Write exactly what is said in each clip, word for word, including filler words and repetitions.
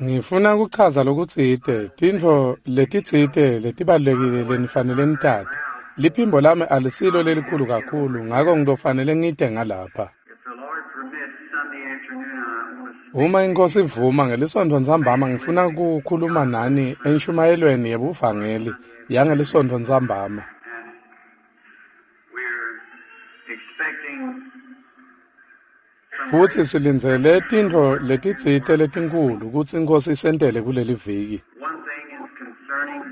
Ngifuna kuchaza lokutsite, tintfo letitsite letibalulekile lenifanele nitati. Liphimbo lami alisilo lelikhulu kakhulu, ngako ngitofanele ngite ngalapha. If the Lord permits, Sunday afternoon, I want to speak Uma iNkosi ivuma ngelisonto ntsambama ngifuna kukhuluma nani enshumayelweni yebuvangeli yangelisonto ntsambama. and we're expecting some Futsi great silindzele tintfo letitsite letinkhulu kutsi iNkosi isentele kuleli viki. one thing is concerning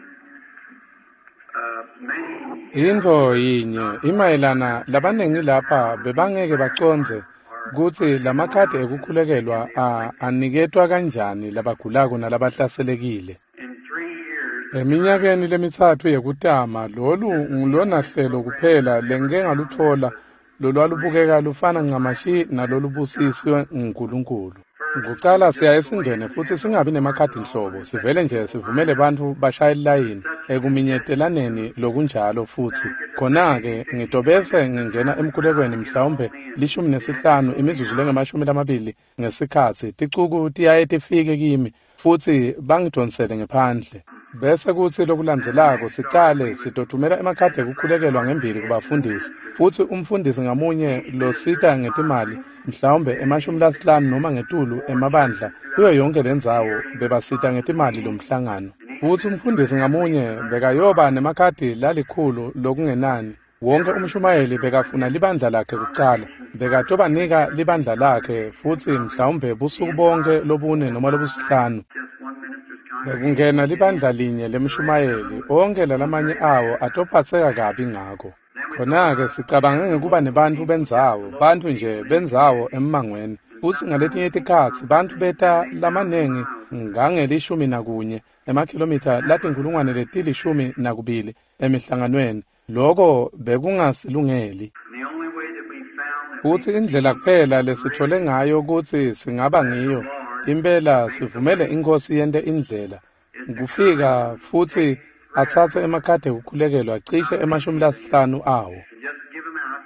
uh, many here Intfo yinye imayelana labanengi lapha bebangeke bacondze kutsi lamakhadi ekukhulekelwa a aniketwa kanjani labagulako nalabahlaselekile. in three years Eminyakeni lemitsatfu yekutama lolu ngulona hlelo kuphela lengike ngalutfola lolwalubukeka lufana ncamashi nalolubusiswe nguNkulunkulu. Kucala siyaye singene futsi singabi nemakhadi nhlobo, sivele nje sivumele bantfu bashaye lilayini ekuminyetelaneni lokunjalo futsi. Khona-ke ngitobese ngingena emkhulekweni mhlawumbe lishumi nesihlanu imizuzu lengemashumi lamabili ngesikhatsi ticuku tiyaye tifike kimi futsi bangidvonsele ngephandle. Bese kutsi lokulandzelako sicale sitotfumela emakhadi ekukhulekelwa ngembili kubafundisi futsi umfundisi ngamunye losita ngetimali mhlawumbe emashumi lasihlanu noma ngetulu emabandla kuyo yonke lendzawo bebasita ngetimali lomhlangano. Futsi umfundisi ngamunye bekayoba nemakhadi lalikhulu lokungenani. Wonke umshumayeli bekafuna libandla lakhe kucala, bekatobanika libandla lakhe futsi mhlawumbe busuku bonke lobune noma lobusihlanu. just one minister's congregation Bekungena libandla linye lemshumayeli, onke lalamanye awo atophatseka kabi ngako. Khona-ke sicabange ngekuba nebantfu bendzawo, bantfu nje bendzawo emmangweni. Futsi ngaletinye tikhatsi bantfu beta lamanengi ngangelishumi nakunye emakhilomitha latinkhulungwane letilishumi nakubili emihlanganweni. Loko bekungasilungeli. and the only way that we found that we Futsi indlela kuphela lesitfole ngayo kutsi singaba ngiyo, impela sivumele iNkosi yente indlela. Kufika futsi atsatse emakhadi ekukhulekelwa cishe emashumi lasihlanu awo. and just give them out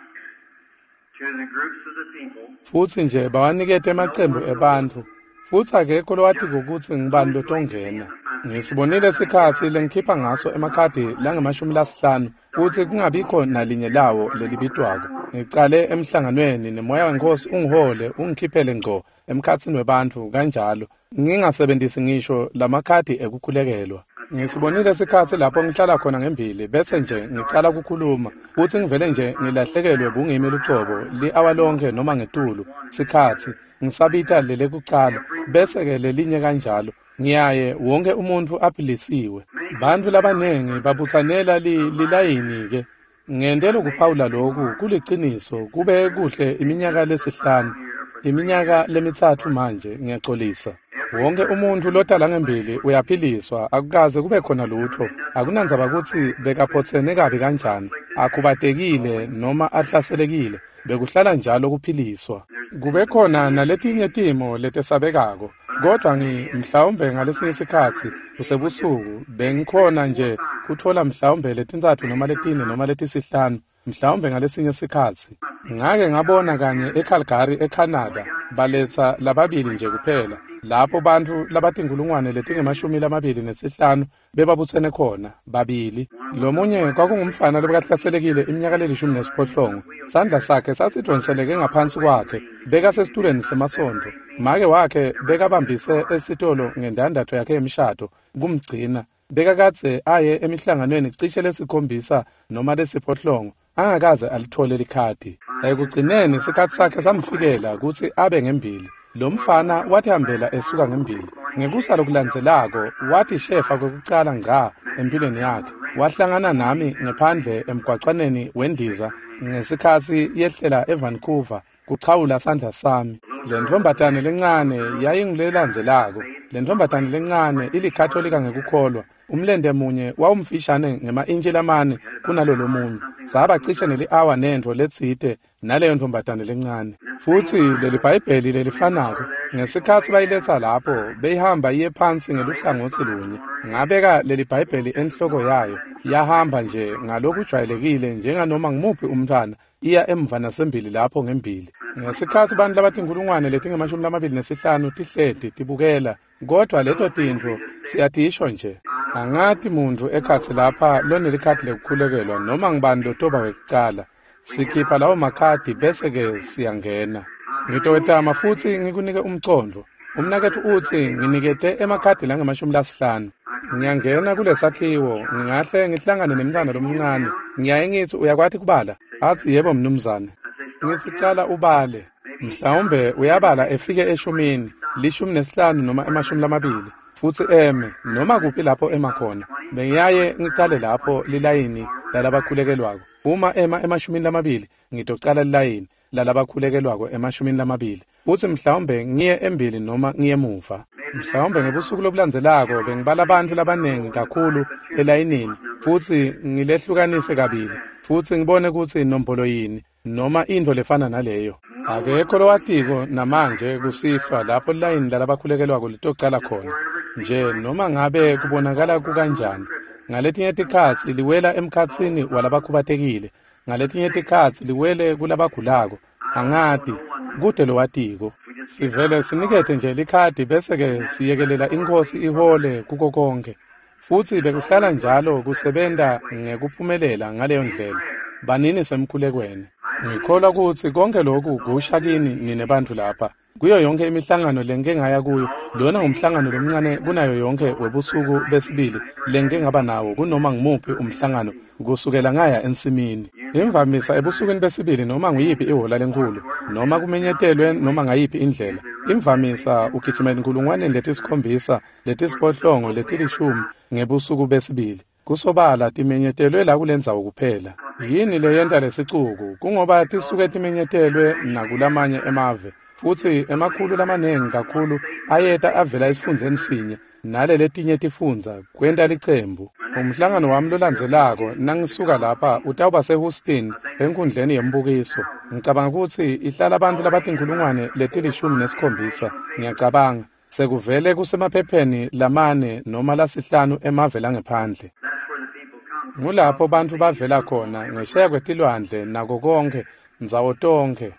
to the groups of the people Futsi nje bawanikete emacembu ebantfu. Futsi akekho lowatiko kutsi ngubani lotongena. Ngisibonile sikhatsi lengikhipha ngaso emakhadi langemashumi lasihlanu kutsi kungabikho nalinye lawo lelibitwako. Ngicale emhlanganweni nemoya weNkosi ungihole ungikhiphele ngco emkhatsini webantfu kanjalo ngingasebentisi ngisho lamakhadi ekukhulekelwa. Ngisibonile sikhatsi lapho ngihlala khona ngembili bese nje ngicala kukhuluma futsi ngivele nje ngilahlekelwe bungimi lucobo li-awa lonke noma ngetulu sikhatsi ngisabita lelekucala bese-ke lelinye kanjalo ngiyaye wonke umuntfu aphilisiwe. Bantfu labanengi babutsanela li, lilayini-ke. Ngente lokuphawula loku kuliciniso kube kuhle iminyaka lesihlanu, iminyaka lemitsatfu manje ngiyacolisa. Wonke umuntfu lotala ngembili uyaphiliswa, akukaze kube khona lutfo. Akunandzaba kutsi bekaphotsene kabi kanjani, akhubatekile noma ahlaselekile, bekuhlala njalo kuphiliswa. Kube khona naletinye timo letesabekako, kodvwa ngi mhlawumbe ngalesinye sikhatsi kusebusuku bengikhona nje kutfola mhlawumbe letintsatfu noma letine noma letisihlanu mhlawumbe ngalesinye sikhatsi. Ngake ngabona kanye eCalgary eCanada baletsa lababili nje kuphela lapho bantfu labatinkhulungwane letingemashumi lamabili nesihlanu bebabutsene khona babili. Lomunye kwakungumfana lobekahlaselekile iminyaka lelishumi nesiphohlongo. Sandla sakhe sasidvonseleke ngaphansi kwakhe, bekasesitulweni semasontfo. Make wakhe bekabambise esitolo ngendandatho yakhe yemshado kumgcina. Bekakadze aye emihlanganweni cishe lesikhombisa noma lesiphohlongo angakaze alitfole likhadi. Ekugcineni sikhatsi sakhe samfikela kutsi abe ngembili. Lo mfana watihambela esuka ngembili. Ngekusa lokulandzelako wathi shefa kwekucala ngca empilweni yakhe. Wahlangana nami ngephandle emgwacwaneni wendiza ngesikhatsi yehlela eVancouver kuchawula sandla sami. Le ntfombatane lencane yayingulelandzelako. Le ntfombatane lencane ilikhatolika ngekukholwa. Umlente munye wawumfishane ngema-intshi lamane kunalo lomunye. Saba cishe neli-awa nentfo letsite naleyo ntfombatane lencane. Futsi leli Bhayibheli lelifanako ngesikhatsi bayiletsa lapho beyihamba iye phansi ngeluhlangotsi lunye. Ngabeka leli Bhayibheli enhloko yayo yahamba nje ngalokujwayelekile njenganoma ngumuphi umntfwana iya emva nasembili lapho ngembili. Ngesikhatsi bantfu labatinkhulungwane letingemashumi lamabili nesihlanu tihleti tibukela, kodvwa leto tintfo siyatisho nje. Angati muntfu ekhatsi lapha lonelikhadi lekukhulekelwa noma ngubani lotoba wekucala. Sikhipha lawo makhadi bese-ke siyangena. Ngitowetama futsi ngikunike umcondvo. Umnaketfu utsi nginikete emakhadi langemashumi lasihlanu. Ngiyangena kulesakhiwo, ngingahle ngihlangane nemntfwana lomncane. Ngiyaye ngitsi uyakwati kubala? Atsi yebo mnumzane. Ngitsi cala ubale. Mhlawumbe uyabala efike eshumini, lishumi nesihlanu noma emashumi lamabili. Futsi eme noma kuphi lapho ema khona. Bengiyaye ngicale lapho lilayini lalabakhulekelwako. Uma ema emashumini lamabili, ngitocala lilayini lalabakhulekelwako emashumini lamabili. Futsi mhlawumbe ngiye embili noma ngiye emuva. Mhlawumbe ngebusuku lobulandzelako bengibala bantfu labanengi kakhulu elayinini futsi ngilehlukanise kabili futsi ngibone kutsi inombolo yini noma intfo lefana naleyo. Akekho lowatiko namanje kusihlwa lapho lilayini lalabakhulekelwako litocala khona. Nje noma ngabe kubonakala kukanjani. Ngaletinye tikhatsi liwela emkhatsini walabakhubatekile, ngaletinye tikhatsi liwele kulabagulako. Angati, kute lowatiko. Sivele sinikete nje likhadi bese-ke siyekelela iNkhosi ihole kuko konke. Futsi bekuhlala njalo kusebenta ngekuphumelela ngaleyo ndlela. Banini semkhulekweni. Ngikholwa kutsi konke loku kusha kini nine bantfu lapha. Kuyo yonke imihlangano lengike ngaya kuyo, lona ngumhlangano lomncane kunayo yonke webusuku besibili lengike ngaba nawo kunoma ngumuphi umhlangano kusukela ngaya ensimini. Imvamisa ebusukwini besibili noma nguyiphi ihhola lenkhulu, noma kumenyetelwe noma ngayiphi indlela. Imvamisa ugijima enkulungwaneni letisikhombisa, letisiphohlongo, letilishumi ngebusuku besibili. Kusobala timenyetelwe la kulendzawo kuphela. Yini leyenta lesicuku? Kungoba tisuke timenyetelwe nakulamanye emave. Futsi emakhulu lamanengi kakhulu ayeta avela esifundzeni sinye naleletinye tifundza kwenta licembu. Umhlangano wami lolandzelako nangisuka lapha utawuba seHouston enkundleni yembukiso. Ngicabanga kutsi ihlala bantfu labatinkhulungwane letilishumi nesikhombisa. Ngiyacabanga sekuvele kusemaphepheni lamane noma lasihlanu emave langephandle. Ngulapho bantfu bavela khona ngesheya kwetilwandle nako konkhe ndzawo tonkhe.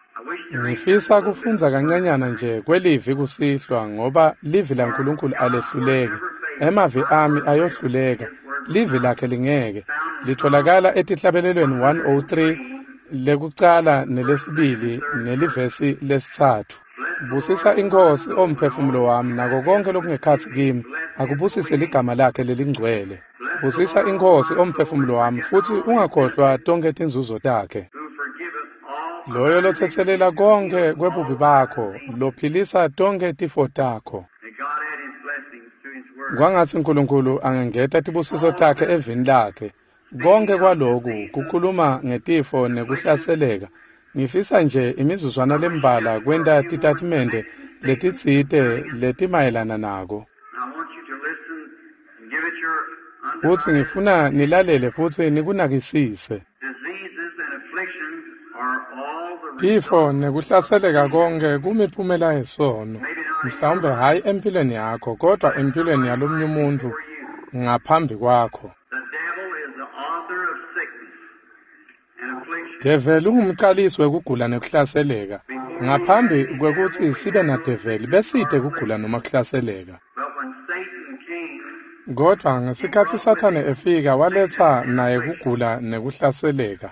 Ngifisa kufundza kancanyana nje kwelivi kusihlwa ngoba livi laNkulunkulu alehluleki. Emavi ami ayohluleka, livi lakhe lingeke. Litholakala etihlabelelweni one oh three lekucala nelesibili nelivesi lesitsatfu. Busisa iNkhosi omphefumulo wami nako konke lokungekhatsi kimi, akubusise ligama lakhe lelingcwele. Busisa iNkhosi omphefumulo wami futsi ungakhohlwa tonkhe tinzuzo takhe. Loyo lotsetselela konke kwebubi bakho, lophilisa tonkhe tifo takho. Kwangatsi uNkulunkulu angengeta tibusiso takhe evini lakhe. Konke kwaloku kukhuluma ngetifo nekuhlaseleka. Ngifisa nje imizuzwana lembalwa kwenta titatimende letitsite letimayelana nako. Futsi ngifuna nilalele futsi nikunakisise. Tifo nekuhlaseleka konke kumiphumela yesono. Mhlawumbe hhayi empilweni yakho, kodwa empilweni yalomunye umuntfu ngaphambi kwakho. Develi ungumcalisi wekugula nekuhlaseleka. Ngaphambi kwekutsi sibe nadeveli besite kugula noma kuhlaseleka. Kodvwa ngesikhatsi Sathane efika waletsa naye kugula nekuhlaseleka.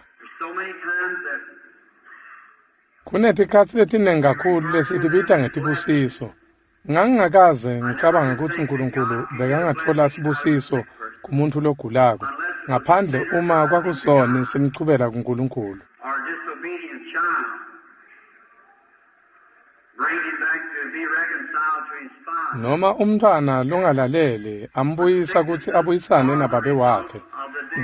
Kunetikhatsi letinengi kakhulu lesitibita ngetibusiso. Ngangingakaze ngicabanga kutsi uNkulunkulu bekangatfola sibusiso kumuntfu logulako, ngaphandle uma kwakusoni simchubela kuNkulunkulu. Noma umntfwana longalaleli ambuyisa kutsi abuyisane nababe wakhe.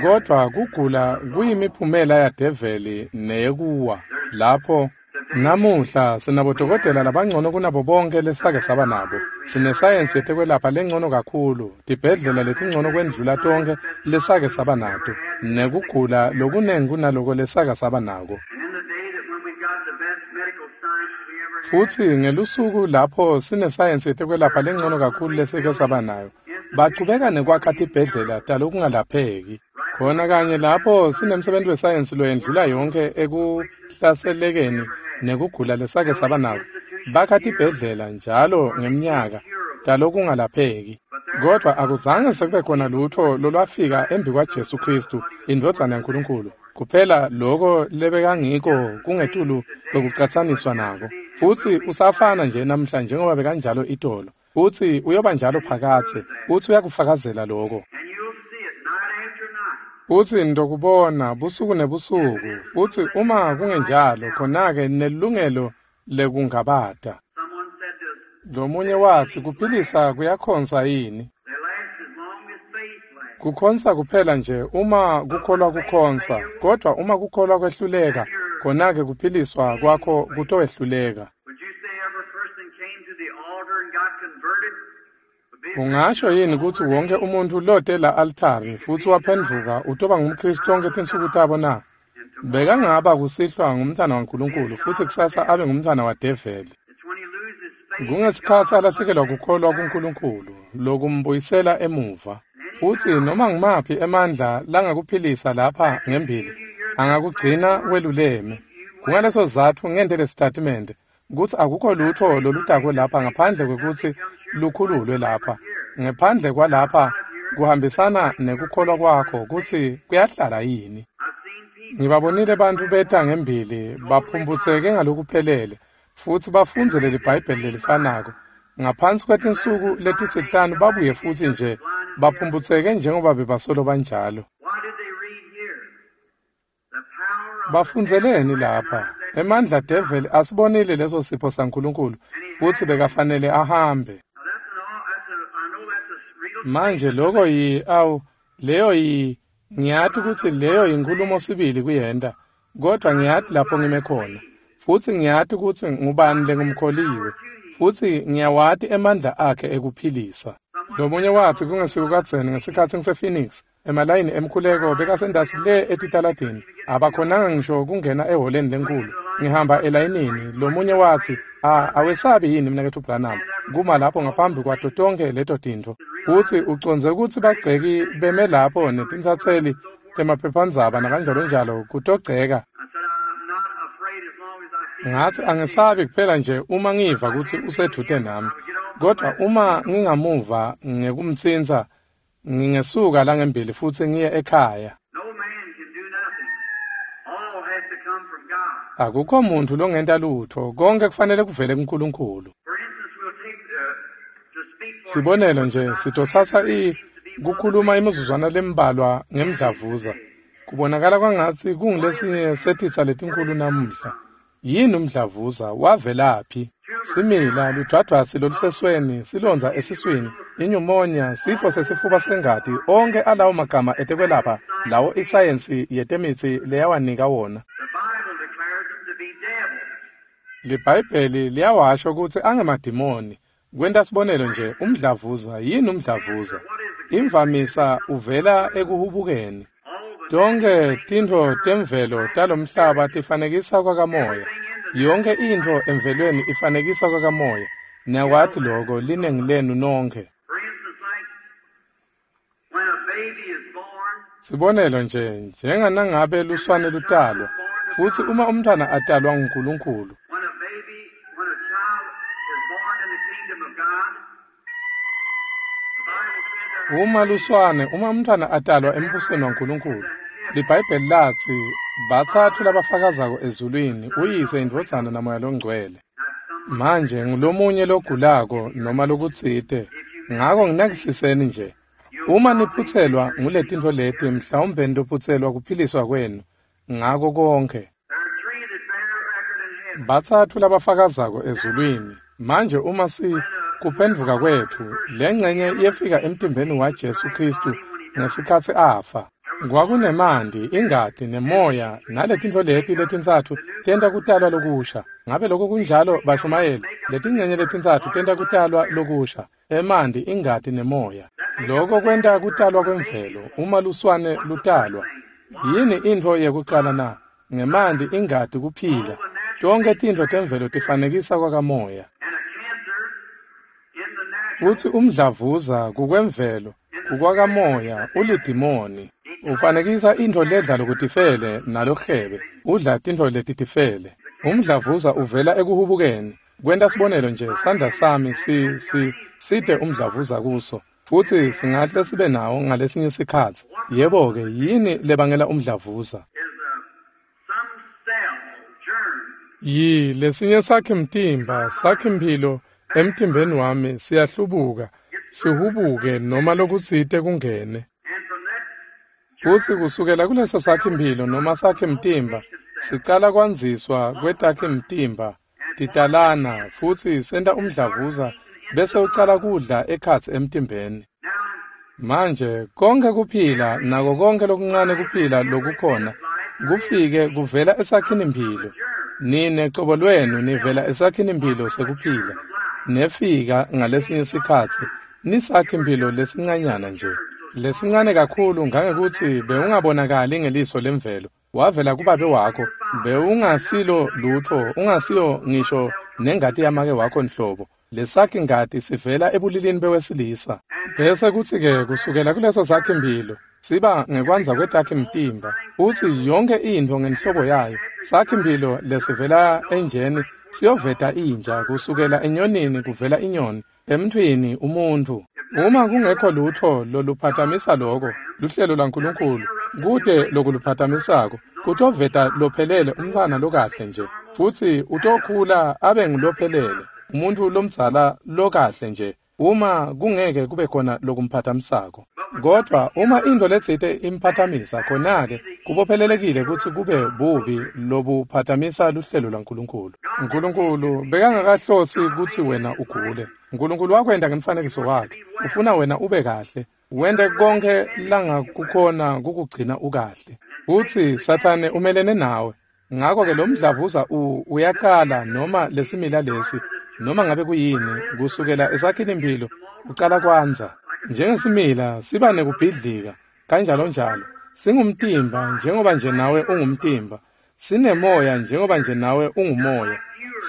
Kodvwa kugula kuyimiphumela yadeveli neyekuwa. Lapho namuhla sinabodokotela labangcono kunabo bonke lesake saba nabo. Sinesayensi yetekwelapha lengcono kakhulu, tibhedlela letingcono kwendlula tonkhe lesake saba nato, nekugula lokunengi kunaloko lesake saba nako. Futsi ngelusuku lapho sinesayensi yetekwelapha lengcono kakhulu lesike saba nayo, bachubeka nekwakha tibhedlela talokungalapheki. Khona kanye lapho sinemsebenti wesayensi loyendlula yonke ekuhlaselekeni nekugula lesake saba nako. Bakha tibhedlela njalo ngemnyaka talokungalapheki. Kodwa akuzange sekube khona lutho lolwafika embi kwaJesu Kristu, indvodzana yaNkulunkulu. Kuphela loko lebekangiko kungetulu kwekucatsaniswa nako. Futsi usafana nje namhla njengoba bekanjalo itolo. Futsi uyoba njalo phakathe, futsi uyakufakazela loko. And you'll see it night after night. Futsi nitokubona busuku nebusuku, futsi uma kungenjalo, khona-ke nelungelo lekungabata. Someone said to us, Lomunye watsi kuphilisa kuyakhonsa yini? they last as long as faith lasts. Kukhonsa kuphela nje uma kukholwa kukhonsa, kodwa uma kukholwa kwehluleka, khona-ke kuphiliswa kwakho kutowehluleka. Would you say every person came to the altar and got converted? Would be a Ungasho yini kutsi wonke umuntfu lote la altari futsi waphendvuka utoba ngumKristu tonkhe tinsuku tabo na? Bekangaba kusihlwa ngumntfwana waNkulunkulu futsi kusasa abe ngumntfwana wadeveli. It's when he loses faith in Kungesikhatsi God, alahlekelwa kukholwa kuNkulunkulu lokumbuyisela emuva. Futsi noma ngumaphi emandla langakuphilisa lapha ngembili angakugcina weluleme. Kungaleso sizatfu ngente lesitatimende kutsi akukho lutho lolutako lapha ngaphandle kwekutsi lukhululwe lapha. Ngephandle kwalapha kuhambisana nekukholwa kwakho kutsi kuyahlala yini. I've seen people Ngibabonile bantfu beta ngembili baphumputseke ngalokuphelele futsi bafundze leli Bhayibheli lelifanako. Ngaphansi kwetinsuku letisihlanu babuye futsi nje baphumputseke njengoba bebasolo banjalo. Why did they read here? The power of the Bafundzeleni devil lapha. recognized that Emandla devil asibonile leso sipho saNkulunkulu futsi bekafanele ahambe. Now that's an all that's a I know that's a real Manje statement. loko yi awu leyo yi ngiyati kutsi leyo yinkhulumo sibili kuyenta, kodwa ngiyati lapho ngime khona. Futsi ngiyati kutsi ngubani lengumkholiwe, futsi ngiyawati emandla akhe ekuphilisa. Lomunye watsi kungesiko kadzeni ngesikhatsi ngise-Phoenix, emalayini emkhuleko bekasendasi le etitaladini, abakhonanga ngisho kungena ehholeni lenkhulu. Ngihamba elayinini, lomunye watsi, "Ah, awesabi yini mnaketfu Branham kuma lapho ngaphambi kwato tonkhe leto tintfo?" Futsi ucondze kutsi bagceki beme lapho netintsatseli temaphephandzaba nakanjalonjalo kutogceka. I said I'm not afraid as long as I see Ngatsi angesabi kuphela nje uma ngiva kutsi usedvute nami. Kodwa uma ngingamuva ngekumtsintsa, ngingesuka la ngembili futsi ngiye ekhaya. no man can do nothing. All has to come from God. Akukho muntfu longenta lutho, konke kufanele kuvele kuNkulunkulu. For instance, we'll take uh, to speak for Sibonelo nje sitotsatsa i kukhuluma imizuzwana lembalwa ngemdlavuza. Kubonakala kwangatsi kungulesinye setitsa letinkulu namuhla. Yini umdlavuza? Wavelaphi? Simila, ludvwadvwasi lolusesweni, silondza esiswini, inyumonia, sifo sesifuba sengati, onke alawo magama etekwelapha lawo isayensi yetemitsi leyawanika wona. The Bible declares them to be devils. LiBhayibheli liyawasho kutsi angemadimoni. Kwenta sibonelo nje, umdlavuza, yini umdlavuza? Imvamisa uvela ekuhubukeni. All the Tonkhe tintfo temvelo talomhlaba tifanekisa kwakamoya. Yonke intfo emvelweni ifanekisa kwakamoya. Niyakwati loko linengi lenu nonkhe. For instance, like when a baby is born, Sibonelo nje, njenganangabe luswane lutalwa, futsi uma umntfwana atalwa nguNkulunkulu, when a baby, when a child is born in the kingdom of God, the Bible said there uma luswane, uma umntfwana atalwa embusweni waNkulunkulu, liBhayibheli latsi batsatfu labafakazako ezulwini, uyise, indvodzana namoya longcwele. that's some Manje ngulomunye logulako noma lokutsite, ngako nginakisiseni nje. Uma niphutselwa nguletintfo leti, mhlawumbe nitophutselwa kuphiliswa kwenu ngako konke. there are three that bear record in heaven. Batsatfu labafakazako ezulwini. Manje uma si kuphendvuka kwetfu, lengcenye yefika emtimbeni waJesu Kristu ngesikhatsi afa. Kwakunemanti, ingati, nemoya, naletintfo leti letintsatfu tenta kutalwa lokusha. Ngabe lokho kunjalo bashumayeli? Letingcenye letintsatfu tenta kutalwa lokusha, emanti, ingati nemoya. Lokho kwenta kutalwa kwemvelo uma luswane lutalwa. Yini intfo yekucala na? Ngemanti, ingati, kuphila. Tonkhe tintfo temvelo tifanekisa kwakamoya. And a cancer in the natural Futsi umdlavuza kukwemvelo, kukwakamoya, ulidimoni. Ufanekisa intfo ledla lokutifele nalohebe, udla tintfo letitifele. Umdlavuza uvela ekuhubukeni. Kwenta sibonelo nje, sandla sami si si side umdlavuza kuso, futsi singahle sibe nawo ngalesinye sikhatsi. Yebo-ke, yini lebangela umdlavuza? Yi lesinye sakhe mtimba, sakhe mphilo emtimbeni wami siyahlubuka, sihubuke noma lokutsite kungene. Futsi kusukela kuleso sakhe mphilo noma sakhe mtimba, sicala kwandziswa kwetakhe mtimba, titalana, futsi senta umdlavuza bese ucala kudla ekhatsi emtimbeni. Manje konke kuphila nako konke lokuncane kuphila lokukhona kufike kuvela esakhini mphilo. Nine cobo lwenu nivela esakhini mphilo sekuphila. Nefika ngalesinye sikhatsi nisakhi mphilo lesincanyana nje, lesincane kakhulu ngangekutsi bewungabonakali ngeliso lemvelo. Wavela kubabe wakho, bewungasilo lutfo, ungasiyo ngisho nengati yamake wakho nhlobo. Lesakhi ngati sivela ebulilini bewesilisa. Bese kutsi-ke kusukela kuleso sakhi mphilo siba ngekwandza kwetakhi mtimba, futsi yonke intfo ngenhlobo yayo. Sakhi mphilo lesivela enjeni siyoveta inja, kusukela enyonini kuvela inyoni, emntfwini umuntfu. Uma kungekho lutfo loluphathamisa loko, luhlelo lwaNkulunkulu, kute lokuluphathamisako, kutoveta lophelele umntfwana lokahle nje, futsi utokhula abe ngulophelele, umuntfu lomdzala lokahle nje, uma kungeke kube khona lokumphathamisako. Kodwa uma intfo letsite imphathamisa, khona-ke kubophelelekile kutsi kube bubi lobuphathamisa luhlelo lwaNkulunkulu. Nkulunkulu bekangakahlosi kutsi wena ugule. Nkulunkulu wakwenta ngemfanekiso wakhe. Ufuna wena ube kahle, wente konke langakukhona kukugcina ukahle. Futsi Sathane umelene nawe. Ngako-ke lo mdlavuza uyaqala noma lesimila lesi, noma ngabe kuyini, kusukela esakhini mphilo ucala kwandza. Njengesimila siba nekubhidlika kanjalo njalo. Singumtimba njengoba nje nawe ungumtimba. Sinemoya njengoba nje nawe ungumoya.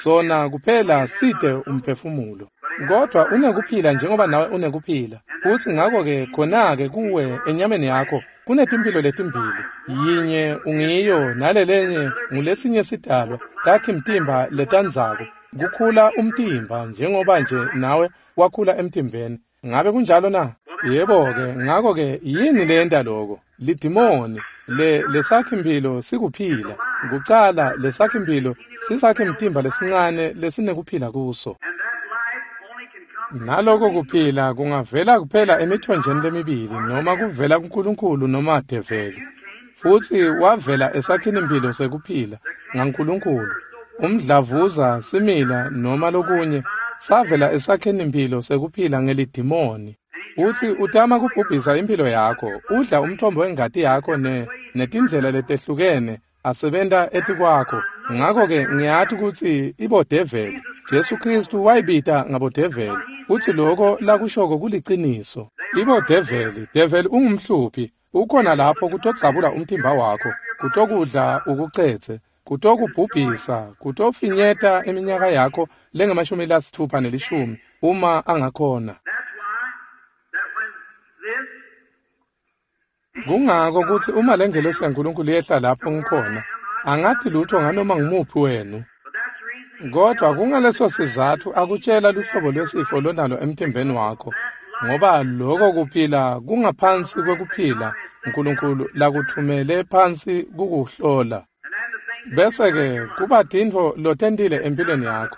Sona kuphela side umphefumulo. Kodwa unekuphila njengoba nawe unekuphila. Futsi ngako-ke khona-ke kuwe enyameni yakho kunetimphilo letimbili. Yinye ungiyo nalelenye ngulesinye sidalwa, takhi mtimba letandzako. Kukhula umtimba njengoba nje nawe wakhula emtimbeni. Ngabe kunjalo na? Yebo-ke, ngako-ke yini leyenta loko? Lidimoni le lesakhi mphilo sikuphila. Kucala lesakhi mphilo sisakhi mtimba lesincane lesinekuphila kuso. Naloko kuphila kungavela kuphela emithonjeni lemibili, noma kuvela kuNkulunkulu noma develi. Futsi wavela esakhini mphilo sekuphila ngaNkulunkulu. Umdlavuza, simila noma lokunye savela esakhini mphilo sekuphila ngelidimoni. Utsi utama kubhubhisa impilo yakho, udla umthombo wengati yakho ne netindlela letehlukene asebenta etikwakho. Ngako-ke ngiyati kutsi ibodeveli. Jesu Kristu wayibita ngabodeveli. Utsi loko lakushoko kuliciniso. Ibodeveli, develi ungumhluphi, ukhona lapho kutodzabula umtimba wakho, kutokudla ukucedze, kutokubhubhisa, kutofinyeta iminyaka yakho lengemashumi lasitfupha nelishumi uma angakhona. Kungako kutsi uma lengelosi yaNkulunkulu yehla lapho ngikhona, angathi lutho nganoma ngumuphi wenu. Kodwa kungaleso sizatfu akutshela luhlobo lwesifo lonalo emtimbeni wakho, ngoba loko kuphila kungaphansi kwekuphila Nkulunkulu lakuthumele phansi kukuhlola. Bese-ke kuba tintfo lotentile empilweni yakho,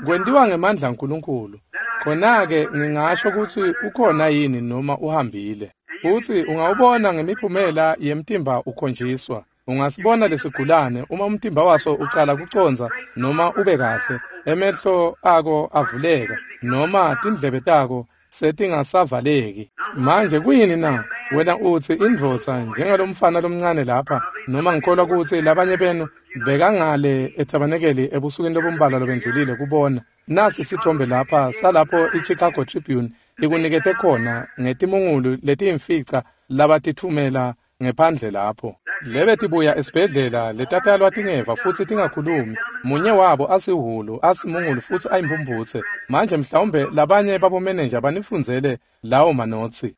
kwentiwa ngemandla aNkulunkulu. Khona-ke ngingasho kutsi ukhona yini noma uhambile. Futsi ungawubona ngemiphumela yemtimba ukhonjiswa. Ungasibona lesigulane uma umtimba waso ucala kucondza noma ube kahle, emehlo ako avuleka noma tindlebe tako setingasavaleki. Manje kuyini na? Wena utsi indvodza njengalomfana lomncane lapha, noma ngikholwa kutsi labanye benu bekangale ethabanekeli ebusukwini lobumbalwa lobendlulile kubona. Nasi sithombe lapha salapho iChicago Tribune ikunikete khona ngetimungulu letiyimfica labatithumela ngephandle lapho. Lebe tibuya esibhedlela letatalwa tingeva futsi tingakhulumi. Munye wabo asihhulu, asimungulu futsi ayimphumphutse. Manje mhlawumbe labanye babomenenja banifundzele lawo manotsi.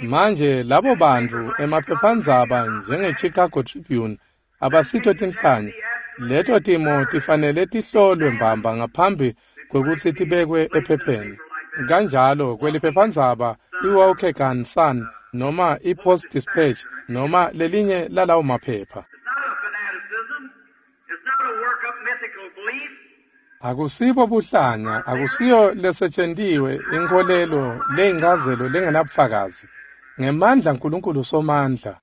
Manje labo bantfu emaphephandzaba njenge-Chicago Tribune abasito tinhlanya. Leto timo tifanele tihlolwe mbamba ngaphambi kwekutsi tibekwe ephepheni. Kanjalo kweliphephandzaba iWaukegan Sun noma iPost Dispatch noma lelinye lalawo maphepha. Akusibo buhlanya, akusiyo lesetshentiwe inkholelo leyinchazelo lengenabufakazi. Ngemandla Nkulunkulu somandla.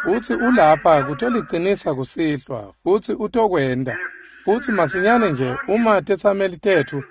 Futsi ulapha kutolicinisa kusihlwa, futsi utokwenta. Futsi masinyane nje uma tetsameli tetfu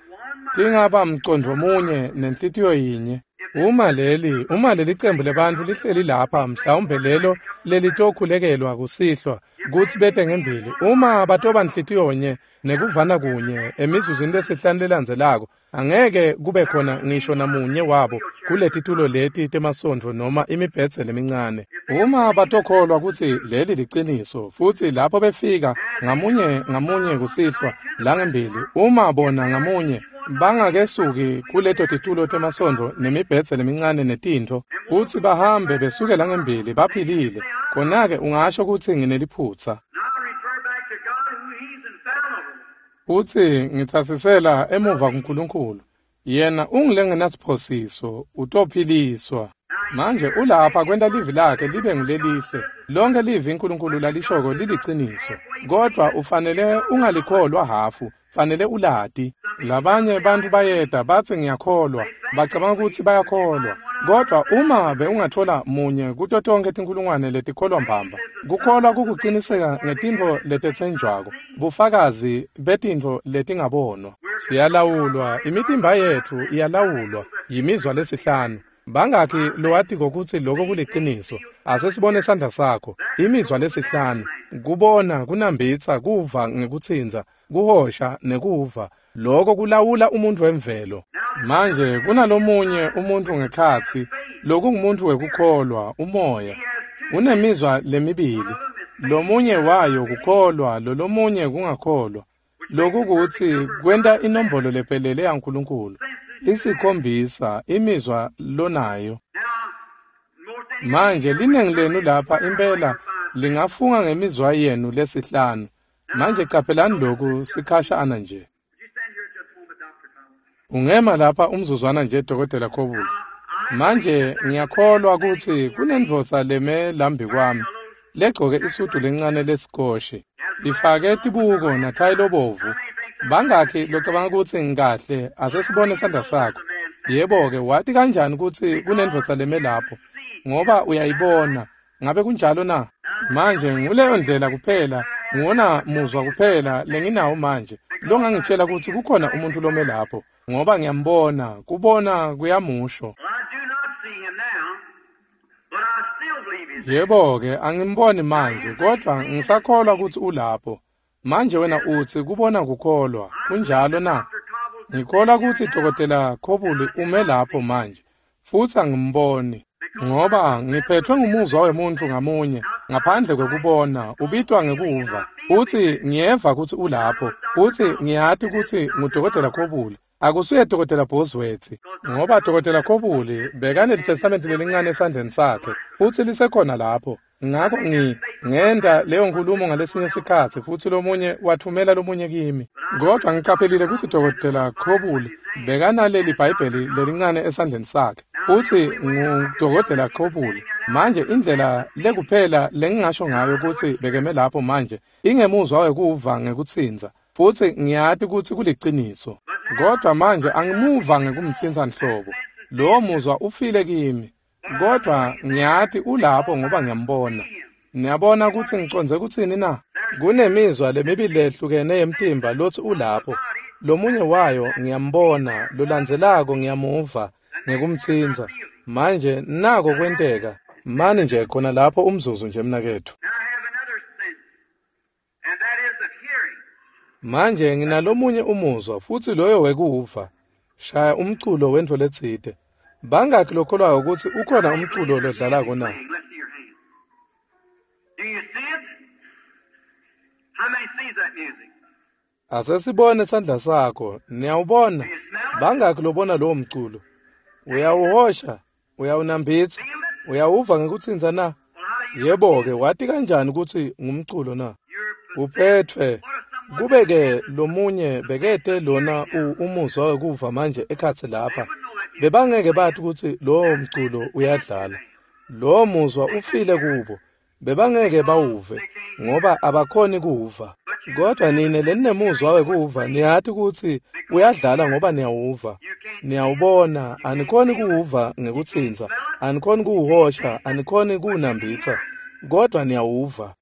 tingaba mcondvo munye nenhlitiyo yinye. Uma leli, uma leli cembu lebantfu lihleli lapha, mhlawumbe lelo lelitokhulekelwa kusihlwa kutsi bete ngembili. Uma batoba nhlitiyo nye nekuvana kunye emizuzwini lesihlanu lelandzelako, angeke kube khona ngisho namunye wabo kuletitulo leti temasondvo noma imibhedze lemincane. Uma batokholwa kutsi leli liciniso, futsi lapho befika ngamunye ngamunye kusihlwa langembili, uma bona ngamunye bangakesuki kuleto titulo temasondvo nemibhedze lemincane netintfo, kutsi bahambe besuke langembili baphilile, khona-ke ungasho kutsi ngineliphutsa. Futsi ngitsasisela emuva kuNkulunkulu. Yena ungulengenasiphosiso, utophiliswa. Manje ulapha kwenta livi lakhe libe ngulelihle. Lonke livi uNkulunkulu lalishoko liliciniso. Kodwa ufanele ungalikholwa hafu, fanele ulati. Labanye bantfu bayeta batsi ngiyakholwa, bacabanga kutsi bayakholwa. Kodwa uma bewungathola munye kuto tonkhe tinkhulungwane letikholwa mbamba, kukholwa kukuciniseka ngetintfo letetsenjwako, bufakazi betintfo letingabonwa. Siyalawulwa, imitimba yetfu iyalawulwa yimizwa lesihlanu. Bangakhi lowatiko kutsi loko kuliciniso? Ase sibone sandla sakho. Imizwa lesihlanu: kubona, kunambitsa, kuva ngekutsintsa, kuhosha nekuva. Loko kulawula umuntu wemvelo. Manje kunalomunye umuntu ngekhatsi, lokungumuntu wekukholwa, umoya. Unemizwa lemibili. Lomunye wayo kukholwa, lolomunye kungakholwa. Loku kutsi kwenta inombolo lephelele yaNkulunkulu. Isikhombisa imizwa lonayo. Manje linengi lenu lapha impela lingafunga ngemizwa yenu lesihlanu. Manje caphelani lokhu sikhashana nje. Ungema lapha umzuzwana nje Dokotela Khobula. Manje ngiyakholwa kutsi kunendvodza leme lambi kwami legcoke isudu lencane lesikoshe, ifake tibuko nathayi lobovu. Bangakhi locabanga kutsi ngikahle? Ase sibone sandla sakho. Yebo-ke, wati kanjani kutsi kunendvodza leme lapho? Ngoba uyayibona. Ngabe kunjalo na? Manje nguleyo ndlela kuphela, nguwona muzwa kuphela lenginawo manje longangitshela kutsi kukhona umuntu lome lapho, ngoba ngiyambona, kubona kuyamusho. Yebo-ke, angimboni manje, kodwa ngisakholwa kutsi ulapho. Manje wena utsi kubona kukholwa, kunjalo na? Ngikholwa kutsi Dokotela Khobuli ume lapho manje, futsi angimboni, ngoba ngiphethwe ngumuzwa wemuntfu ngamunye, ngaphandle kwekubona, ubitwa ngekuva. Futsi ngiyeva kutsi ulapho, futsi ngiyati kutsi nguDokotela Khobuli. Akusuye Dokotela Bosworth, ngoba Dokotela Khobuli bekanelitestamenti lelincane esandleni sakhe, futsi lisekhona lapho. Ngako ngi ngenta leyo nkulumo ngalesinye sikhatsi, futsi lomunye wathumela lomunye kimi. Kodwa ngicaphelile kutsi Dokotela Khobuli bekanaleli Bhayibheli lelincane esandleni sakhe, futsi nguDokotela Khobuli. Manje indlela lekuphela lengingasho ngayo kutsi bekeme lapho manje ingemuzwa wekuva ngekutsintsa, futsi ngiyati kutsi kuliciniso. Kodwa manje angimuva ngekumtsintsa nhlobo. Lowo muzwa ufile kimi. Kodwa ngiyati ulapho ngoba ngiyambona. Niyabona kutsi ngicondze kutsini na? Kunemizwa lemibili lehlukene yemtimba lotsi ulapho. Lomunye wayo ngiyambona, lolandzelako ngiyamuva ngekumtsintsa. Manje nako kwenteka. Mani nje khona lapho umzuzu nje mnaketfu. Manje nginalomunye umuzwa, futsi loyo wekuva. Shaya umculo wentfo letsite. Bangakhi lokholwako kutsi ukhona umculo lodlalako na? Ase sibone sandla sakho. Niyawubona? Bangakhi lobona lowo mculo? Uyawuhosha, uyawunambitsa, uyawuva ngekutsintsa na? Yebo-ke, wati kanjani kutsi ngumculo na? Uphetfwe. Kube-ke lomunye bekete lona umuzwa wekuva manje ekhatsi lapha, bebangeke bati kutsi lowo mculo uyadlala. Lowo muzwa ufile kubo, bebangeke bawuve, ngoba abakhoni kuva. Kodwa nine leninemuzwa wekuva niyati kutsi uyadlala ngoba niyawuva. Niyawubona, anikhoni kuwuva ngekutsintsa, anikhoni kuwuhosha, anikhoni kuwunambitsa, kodwa niyawuva.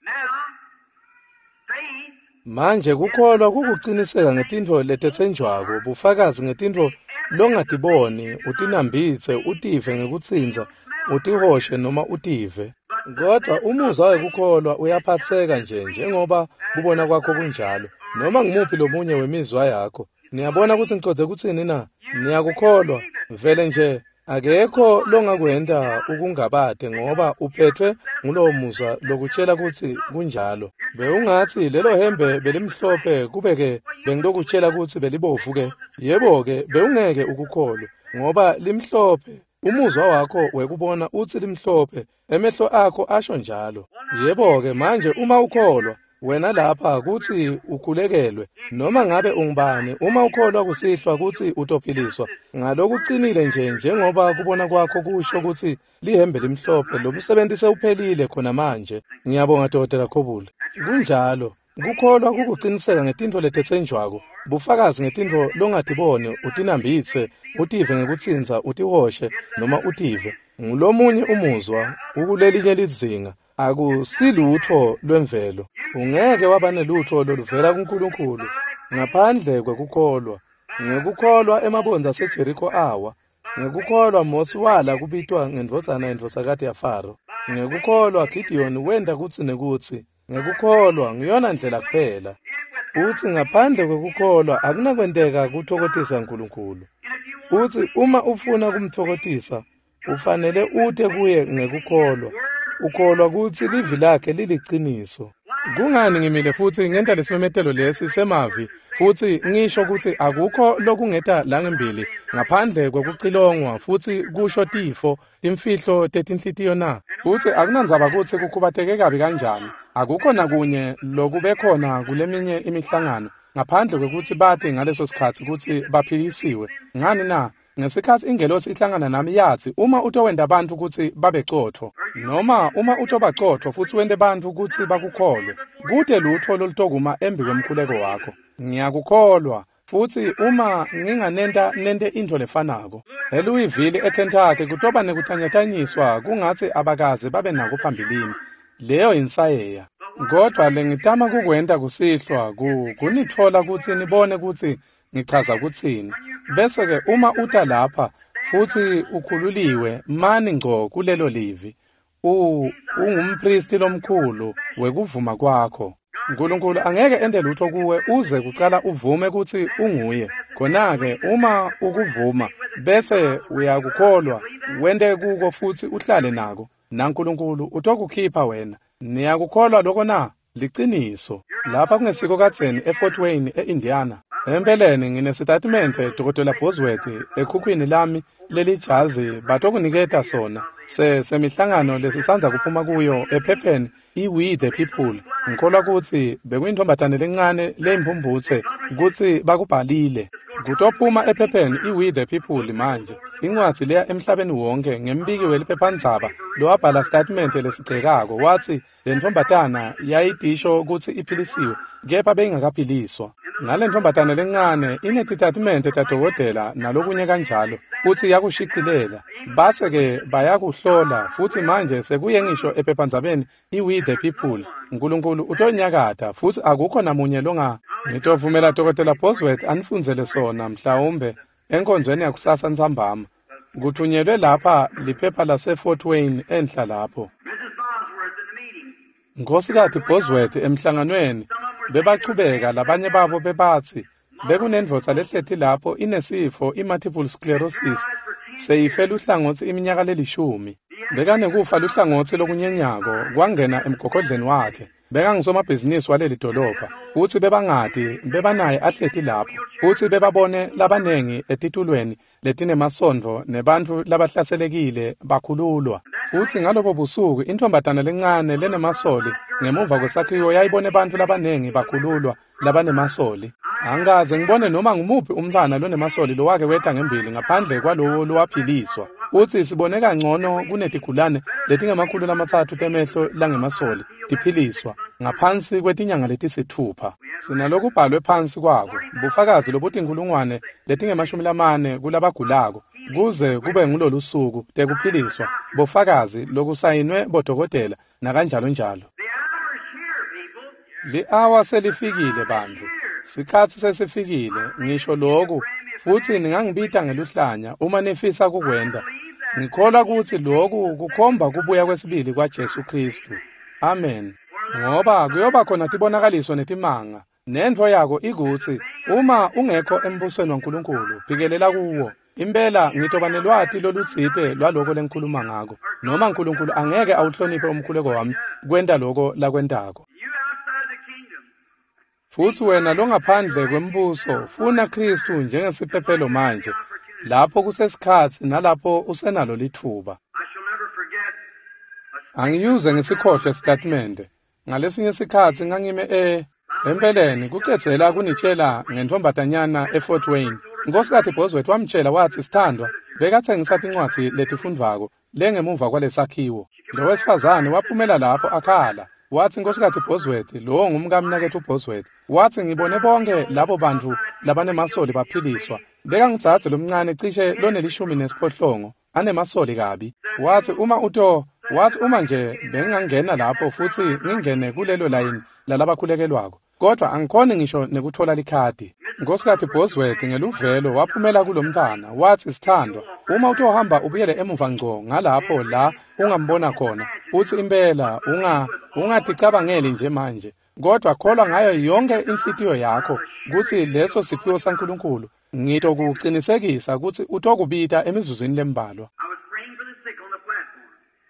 Manje kukholwa kukuciniseka ngetintfo letetsenjwako, bufakazi ngetintfo longatiboni, utinambitse, utive ngekutsintsa, utihoshe noma utive. Kodwa umuzwa wekukholwa uyaphatseka nje njengoba kubona kwakho kunjalo, noma ngumuphi lomunye wemizwa yakho. Niyabona kutsi ngicondze kutsini na? Niyakukholwa vele nje. Akekho longakwenta ukungabate ngoba uphetfwe ngulowo muzwa lokutshela kutsi kunjalo. Bewungatsi lelo hembe belimhlophe kube-ke bengilokutshela kutsi belibovu-ke. Yebo-ke, bewungeke ukukholwe ngoba limhlophe. Umuzwa wakho wekubona utsi limhlophe, emehlo akho asho njalo. Yebo-ke, manje uma ukholwa wena lapha kutsi ukhulekelwe, noma ngabe ungubani, uma ukholwa kusihlwa kutsi utophiliswa ngalokucinile nje njengoba kubona kwakho kusho kutsi lihembe limhlophe, lo msebenzi sewuphelile khona manje. Ngiyabonga Dokotela Khobule. Kunjalo. Kukholwa kukuciniseka ngetintfo letetsenjwako, bufakazi ngetintfo longatiboni, utinambitse, utive ngekutsintsa, utihoshe noma utive. Ngulomunye umuzwa ukulelinye lizinga. Akusilutfo lwemvelo. Ungeke waba nelutfo loluvela kuNkulunkulu ngaphandle kwekukholwa. Ngekukholwa emabondza aseJeriko awa. Ngekukholwa Mosi wala kubitwa ngendvodzana yendvodzakati yaFaro. Ngekukholwa Gideon wenta kutsi nekutsi. Ngekukholwa ngiyona ndlela kuphela. Futsi ngaphandle kwekukholwa akunakwenteka kutfokotisa Nkulunkulu. Futsi uma ufuna kumtfokotisa, ufanele ute kuye ngekukholwa. Ukholwa kutsi livi lakhe liliciniso. Kungani ngimile futsi ngenta lesimemetelo lesi semavi futsi ngisho kutsi akukho lokungeta langembili ngaphandle kwekucilongwa futsi kusho tifo, timfihlo tetinhlitiyo na? Futsi akunandzaba kutsi kukhubateke kabi kanjani, akukho nakunye lokube khona kuleminye imihlangano ngaphandle kwekutsi bati ngaleso sikhatsi kutsi baphilisiwe. Ngani na? Ngesikhatsi ingelosi ihlangana nami yatsi uma utowenta bantfu kutsi babe cotfo, noma uma utobacotfo futsi wente bantfu kutsi bakukholwe, kute lutfo lolutokuma embi kwemkhuleko wakho. Ngiyakukholwa. Futsi uma nginganenta nente intfo lefanako eLouisville eKentucky kutoba nekutanyatanyiswa kungatsi abakaze babe nako phambilini. Leyo insayeya. Kodwa lengitama kukwenta kusihlwa kunitfola kutsi nibone kutsi ngichaza kutsini. Bese-ke uma uta lapha futsi ukhululiwe, mani ngco kulelo livi. U ungumpristi lomkhulu wekuvuma kwakho. Nkulunkulu angeke ente lutfo kuwe uze kucala uvume kutsi unguye. Khona-ke uma ukuvuma bese uyakukholwa, wente kuko futsi uhlale nako, naNkulunkulu utokukhipha wena. Niyakukholwa loko na? Liciniso. Lapha kungesiko kadzeni eFort Wayne eIndiana. Empeleni nginesitatimende Dokotela Bosworth ekhukhwini lami lelijazi batokuniketa sona se semihlangano lesisandza kuphuma kuyo ephepheni i-We the People. Ngikholwa kutsi bekuyintfombatane lencane leyimphumphutse kutsi bakubhalile. Kutophuma ephepheni i-We the People manje. Incwadzi leya emhlabeni wonke ngembiki weliphephandzaba lowabhala sitatimende lesigcekako watsi lentfombatana yayitisho kutsi iphilisiwe kepha beyingakaphiliswa. Nalentfombatane lencane inetitatimende tadokotela nalokunye kanjalo futsi yakushicilela. Base-ke bayakuhlola futsi manje sekuye ngisho ephephandzabeni i-We the People. Nkulunkulu utonyakata futsi akukho namunye longa. Ngitovumela Dokotela Bosworth anifundzele sona mhlawumbe enkonzweni yakusasa ntsambama. Kuthunyelwe lapha liphepha lase-Fort Wayne enhla lapho. Nkhosikati Bosworth emhlanganweni bebachubeka labanye babo bebatsi bekunendvodza lehleti lapho inesifo i-multiple sclerosis seyife luhlangotsi iminyaka lelishumi. Bekanekufa luhlangotsi lokunyenyako kwangena emgogodleni wakhe. Bekangusomabhizinisi waleli dolobha futsi bebangati bebanaye ahleti lapho futsi bebabone labanengi etitulweni letinemasondvo nebantfu labahlaselekile bakhululwa. Futsi ngalobo busuku intfombatana lencane lenemasoli ngemuva kwesakhiwo yayibone bantfu labanengi bakhululwa labanemasoli. Angikaze ngibone noma ngumuphi umntfwana lonemasoli lowake weta ngembili ngaphandle kwalowo lowaphiliswa. Utsi sibone kangcono kunetigulane letingemakhulu lamatsatfu temehlo langemasoli tiphiliswa ngaphansi kwetinyanga letisitfupha. Sinalokubhalwe phansi kwako bufakazi lobutinkhulungwane letingemashumi lamane kulabagulako kuze kube ngulolusuku tekuphiliswa bufakazi lokusayinwe bodokotela nakanjalo njalo. Li-awa selifikile bantfu. Sikhatsi sesifikile ngisho loku futsi ningangibita ngeluhlanya uma nifisa kukwenta. Ngikholwa kutsi loku kukhomba kubuya kwesibili kwaJesu Khristu. Amen. Ngoba kuyoba khona tibonakaliso netimanga. Nentfo yako ikutsi uma ungekho embusweni waNkulunkulu phikelela kuwo. Impela ngitoba nelwati lolutsite lwaloko lengikhuluma ngako. Noma uNkulunkulu angeke awuhloniphe umkhuleko wami kwenta loko lakwentako. Futsi wena longaphandle kwembuso funa Khristu njengesiphephelo manje lapho kusesikhatsi nalapho usenalo litfuba. Angiyuze ngisikhohlwe sitatimende. Ngalesinye sikhatsi ngangime e empeleni kucedzela kunitshela ngentfombatanyana eFort Wayne. Nkosikazi Bosworth wamtshela watsi sithandwa bekatsengisa tincwadzi letifundvwako lengemuva kwalesakhiwo. Lo wesifazane waphumela lapho akhala. Watsi Nkosikazi Bosworth lowo ngumkamnaketfu Bosworth. Watsi ngibone bonke labo bantfu labanemasoli baphiliswa. Bekangudzadze lomncane cishe lonelishumi nesiphohlongo anemasoli kabi. Watsi uma uto watsi uma nje bengingangena lapho futsi ngingene kulelo layini lalabakhulekelwako kodwa angikhoni ngisho nekutfola likhadi. Nkosikazi Bosworth ngeluvelo waphumela kulomntfwana watsi sithandwa uma utohamba ubuyele emuva ngco ngalapho la ungambona khona utsi impela unga ungaticabangeli nje manje kodwa kholwa ngayo yonke inhlitiyo yakho kutsi leso siphiwo saNkulunkulu ngitokucinisekisa kutsi utokubita emizuzwini lembalwa.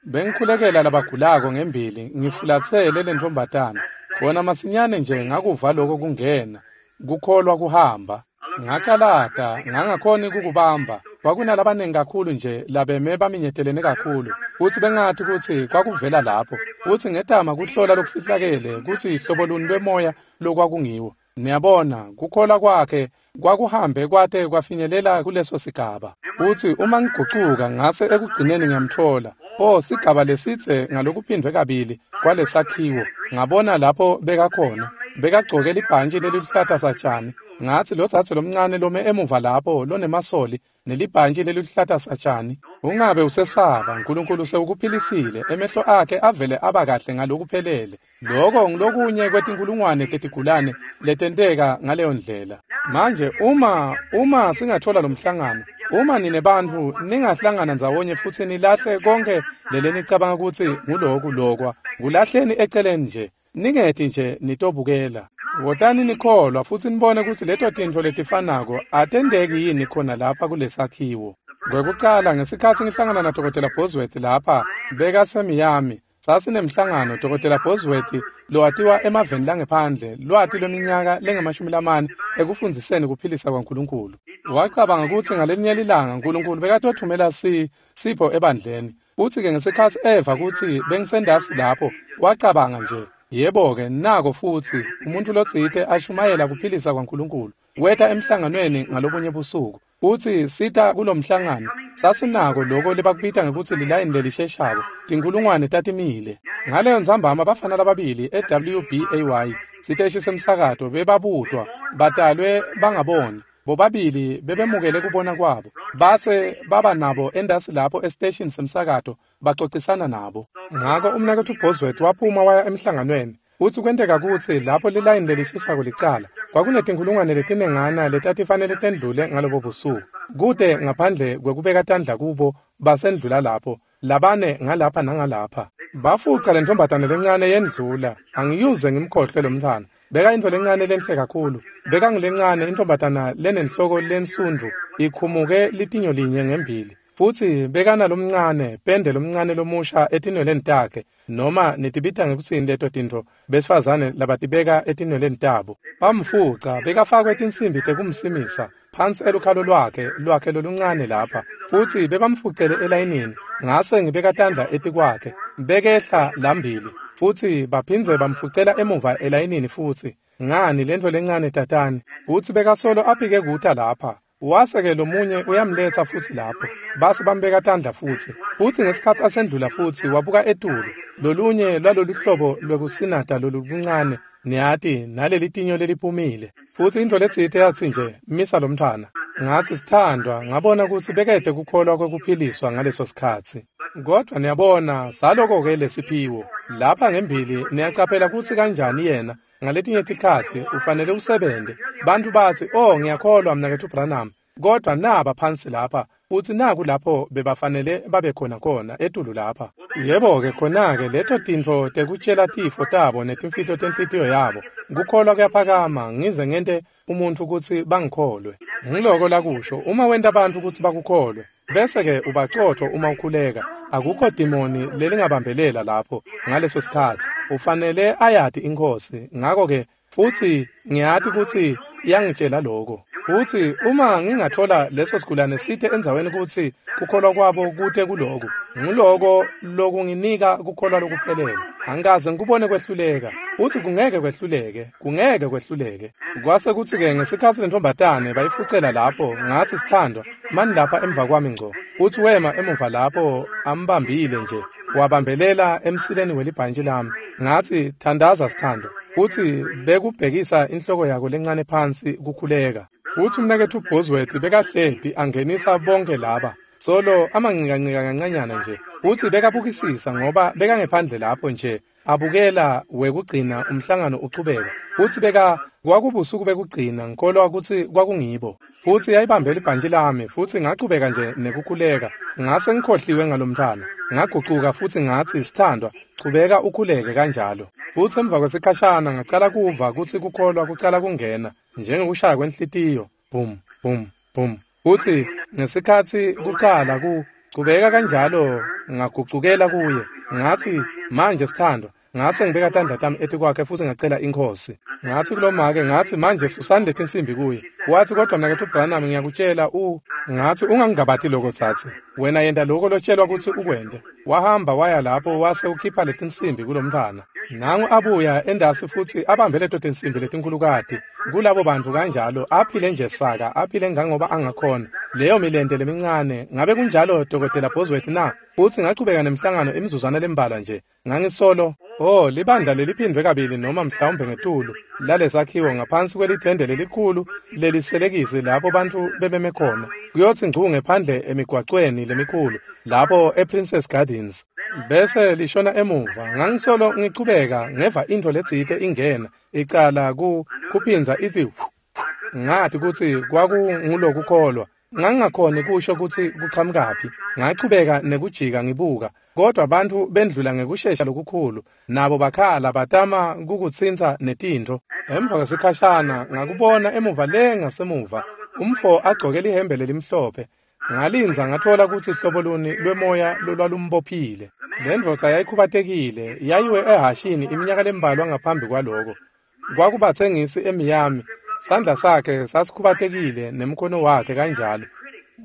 Bengikhulekela labagulako ngembili ngifulatsele lentfombatana khona masinyane nje ngakuva loko kungena kukholwa kuhamba. Ngacalata ngangakhoni kukubamba. Kwakunalabanengi kakhulu nje labeme baminyetelene kakhulu futsi bengathi kutsi kwakuvela lapho futsi ngetama kuhlola lokufihlakele kutsi hlobo luni lwemoya lokwakungiwo. Niyabona kukholwa kwakhe kwakuhambe kwate kwafinyelela kuleso sigaba. Futsi uma ngigucuka ngase ekugcineni ngiyamtfola. Oh sigaba lesitse ngalokuphindwe kabili kwalesakhiwo ngabona lapho bekakhona bekagcoke libhantji leliluhlata satjani. Ngatsi lo dzadze lomncane lome emuva lapho lonemasoli nelibhantji leliluhlata satjani. Ungabe usesaba uNkulunkulu sewukuphilisile emehlo akhe avele aba kahle ngalokuphelele. Loko ngilokunye kwetinkulungwane tetigulane letenteka ngaleyo ndlela. Manje uma uma singathola lomhlangano uma nine bantfu ningahlangana ndzawonye futsi nilahle konke lelenicabanga kutsi nguloku lokwa kulahleni eceleni nje ningeti nje nitobukela. Wotani nikholwa futsi nibone kutsi leto tintfo letifanako atenteki yini khona lapha kulesakhiwo. Kwekucala ngesikhatsi ngihlangana na Dokotela Bosworth lapha bekaseMiami sasinemhlangano Dokotela Bosworth lowatiwa emaveni langephandle lwati lweminyaka lengemashumi lamane ekufundziseni kuphilisa kwaNkulunkulu. Wacabanga kutsi ngalelinye lilanga uNkulunkulu bekatothumela si sipho ebandleni. Futsi-ke ngesikhatsi eva kutsi bengisendasi lapho wacabanga nje yebo-ke nako futsi umuntu lotsite ashumayela kuphilisa kwaNkulunkulu. Weta emhlanganweni ngalobunye busuku. Futsi sita kulomhlangano sasinako loko lebakubita ngekutsi lilayini lelisheshako tinkhulungwane tatimile. Ngaleyo ntsambama bafana lababili e-W B A Y siteshi semsakato bebabutwa batalwe bangaboni bobabili bebemukele kubona kwabo base baba nabo endasi lapho esiteshini semsakato bacocisana nabo. Ngako umnaketfu Bosworth waphuma waya emhlanganweni. Futsi kwenteka kutsi lapho lilayini lelisheshako licala kwakunetinkhulungwane letinengana letatifanele tendlule ngalobo busuku kute ngaphandle kwekubeka tandla kubo basendlula lapho labane ngalapha nangalapha. Bafuca lentfombatane lencane yendlula. Angiyuze ngimkhohlwe lo mntfwana. Beka intfo lencane lenhle kakhulu. Beka ngilencane intfombatana lenenhloko lensundvu ikhumuke litinyo linye ngembili. Futsi bekana lomncane pende lomncane lomusha etinweleni takhe noma nitibita ngekutsini leto tintfo besifazane labatibeka etinweleni tabo. Bamfuca bekafakwe tinsimbi tekumsimisa phansi elukhalo lwakhe lwakhe loluncane lapha futsi bebamfucele elayinini Ngase ngibeka tandla etikwakhe, bekehla lambili, futsi baphindze bamfucela emuva elayinini futsi. Ngani lento lencane tatani, futsi bekasolo aphike kuta lapha. Wase-ke lomunye uyamletsa futsi lapho, base bambeka tandla futsi. Futsi ngesikhatsi asendlula futsi wabuka etulu, lolunye lwalolu hlobo lwekusinata loluncane, niyati, naleli tinyo leliphumile. Futsi intfo letsite yatsi nje, misa lomntfwana. Ngatsi sithandwa, ngabona kutsi bekete kukholwa kwekuphiliswa ngaleso sikhatsi. Kodvwa niyabona, saloko-ke lesiphiwo. Lapha ngembili niyacaphela kutsi kanjani yena, ngaletinye tikhatsi ufanele usebente. Bantfu batsi, oh ngiyakholwa mnaketfu Branham, kodvwa naba phansi lapha, futsi naku lapho bebafanele babe khona khona etulu lapha. Yebo-ke khona-ke leto tintfo tekutjela tifo tabo netimfihlo tenhlitiyo yabo. Kukholwa kuyaphakama ngize ngente umuntfu kutsi bangikholwe. Ngiloko lakusho, uma wenta bantfu kutsi bakukholwe, bese-ke ubacotfo uma ukhuleka. Akukho dimoni lelingabambelela lapho ngaleso sikhatsi. Ufanele ayati iNkhosi. Ngako-ke futsi ngiyati kutsi iyangitjela loko. Futsi uma ngingathola leso sigulane site endzaweni kutsi kukholwa kwabo kute kuloku, ngiloko lokunginika kukholwa lokuphelele. Angikaze ngikubone kwehluleka, futsi kungeke kwehluleke, kungeke kwehluleke. Kwase kutsi-ke ngesikhatsi lentombatane bayifucela lapho, ngatsi sithandwa, mani lapha emva kwami ngco. Futsi wema emuva lapho ambambile nje, wabambelela emsileni welibhantshi lami. Ngatsi thandaza sithandwa, futsi bekubhekisa inhloko yako lencane phansi kukhuleka. Futsi umnaketfu Bosworth bekahleti angenisa bonke laba solo amanqikancika kancanyana nje, futsi bekabukisisa ngoba bekangephandle lapho nje abukela wekugcina umhlangano uchubeka. Futsi beka kwakubusuku bekugcina, ngikholwa kutsi kwakungibo. Futsi yayibambe libhantshi lami, futsi ngachubeka nje nekukhuleka. Ngase ngikhohliwe ngalomntfwana. Ngagucuka futsi ngatsi sithandwa, chubeka ukhuleke kanjalo. Futsi emva kwesikhashana ngacala kuva kutsi kukholwa kucala kungena njengekushaya kwenhlitiyo, bum bum bum. Futsi ngesikhatsi kucala ku chubeka kanjalo ngagucukela kuye. Ngatsi manje sithandwa, ngase ngibeka tandla tami etikwakhe futsi ngacela iNkhosi. Ngatsi kulomake, ngatsi manje susani letinsimbi kuye. Watsi kodwa mnaketfu Branham ngiyakutjela u ngatsi ungangingabati loko tsatsi. Wena yenta loko lotshelwa kutsi ukwente. Wahamba waya lapho wase ukhipha letinsimbi kulomntfwana. Nangu abuya endasi futsi abambe leto tinsimbi letinkhulukati kulabo bantfu kanjalo, aphile nje saka, aphile ngangoba angakhona. Leyo milente lemincane, ngabe kunjalo Dokotela Bosworth na? Futsi ngachubeka nemhlangano imizuzwana lembalwa nje. Ngangisolo, oh libandla leliphindwe kabili noma mhlawumbe ngetulu lalesakhiwo ngaphansi kwelithende lelikhulu leliselekisi lapho bantfu bebeme khona. Kuyotsi ngcu ngephandle emigwacweni lemikhulu lapho ePrincess Gardens. Bese lishona emuva, ngangisolo ngichubeka ngeva intfo letsite ingena icala ku kuphindza ithi. Ngathi kutsi kwakungulokukholwa. Ngangingakhoni kusho kutsi kuchamukaphi. Ngachubeka nekujika ngibuka, kodwa bantfu bendlula ngekushesha lokukhulu, nabo bakhala batama kukutsintsa netintfo. Emva kwesikhashana ngakubona emuva le ngasemuva, umfo agcoke lihembe lelimhlophe. Ngalindza ngathola kutsi hlobo luni lwemoya lolwalumbophile. Le ndvodza yayikhubatekile, yayiwe ehashini iminyaka lembalwa ngaphambi kwaloko. Kwakubatsengisi eMiami, sandla sakhe sasikhubatekile nemkhono wakhe kanjalo.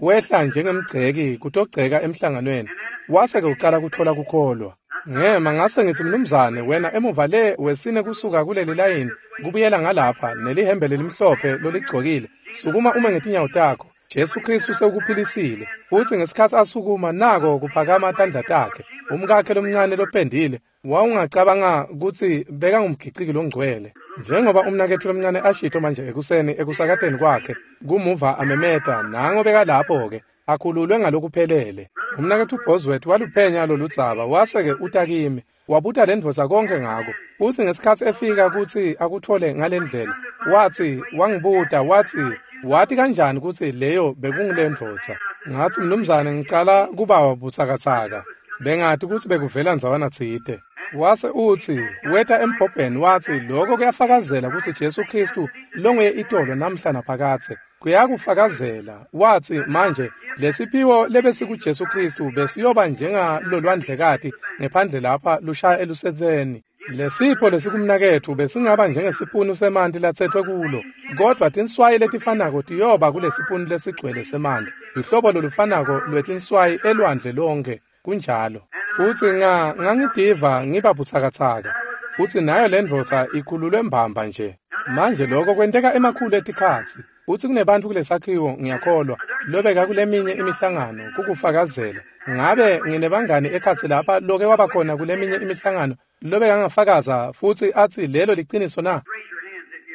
Wehla njengemgceki kutogceka emhlanganweni, wase-ke ucala kutfola kukholwa. Ngema ngase ngitsi mnumzane, wena emuva le wesine kusuka kuleli layini kubuyela ngalapha nelihembe lelimhlophe loligcokile, sukuma ume ngetinyawo takho. Jesu Kristu sewukuphilisile. Futsi ngesikhatsi asukuma nako kuphakama tandla takhe. Umkakhe lomncane lopendile wawungacabanga kutsi bekangumgiciki longcwele. Njengoba umnaketfu lomncane ashito manje ekuseni ekusakateni kwakhe, kumuva amemeta, nango bekalapho-ke akhululwe ngalokuphelele. Umnaketfu Bosworth waluphenya loludzaba, wase-ke uta kimi, wabuta lendvodza konke ngako. Futsi ngesikhatsi efika kutsi akutfole ngalendlela, watsi wangibuta watsi, wati kanjani kutsi leyo bekungulendvodza? Ngatsi mnumzane ngicala kuba butsakatsaka, bengati kutsi bekuvela ndzawana tsite. Wase utsi weta embhobheni watsi lokho kuyafakazela kutsi Jesu Kristu longuye itolo namhla naphakadze. Kuyakufakazela. Watsi manje lesiphiwo lebesikuJesu Kristu besiyoba njengalolwandlekati ngephandle lapha lushaya elusetseni. Lesipho lesikumnaketfu besingaba njengesipunu semanti latsetfwe kulo, kodvwa tinswayi letifanako tiyoba kulesipunu lesigcwele semanti. Luhlobo lolufanako lwetinswayi elwandle lonke. Kunjalo. Futsi nga ngangitiva ngiba butsakatsaka. Futsi nayo lendvodza ikhululwe mbamba nje. Manje lokho kwenteka emakhulu etikhatsi. Futsi kunebantfu kulesakhiwo ngiyakholwa lobeka kuleminye imihlangano kukufakazela. Ngabe nginebangani ekhatsi lapha loke wabakhona kuleminye imihlangano lobeka ngafakaza futsi atsi lelo liciniso na?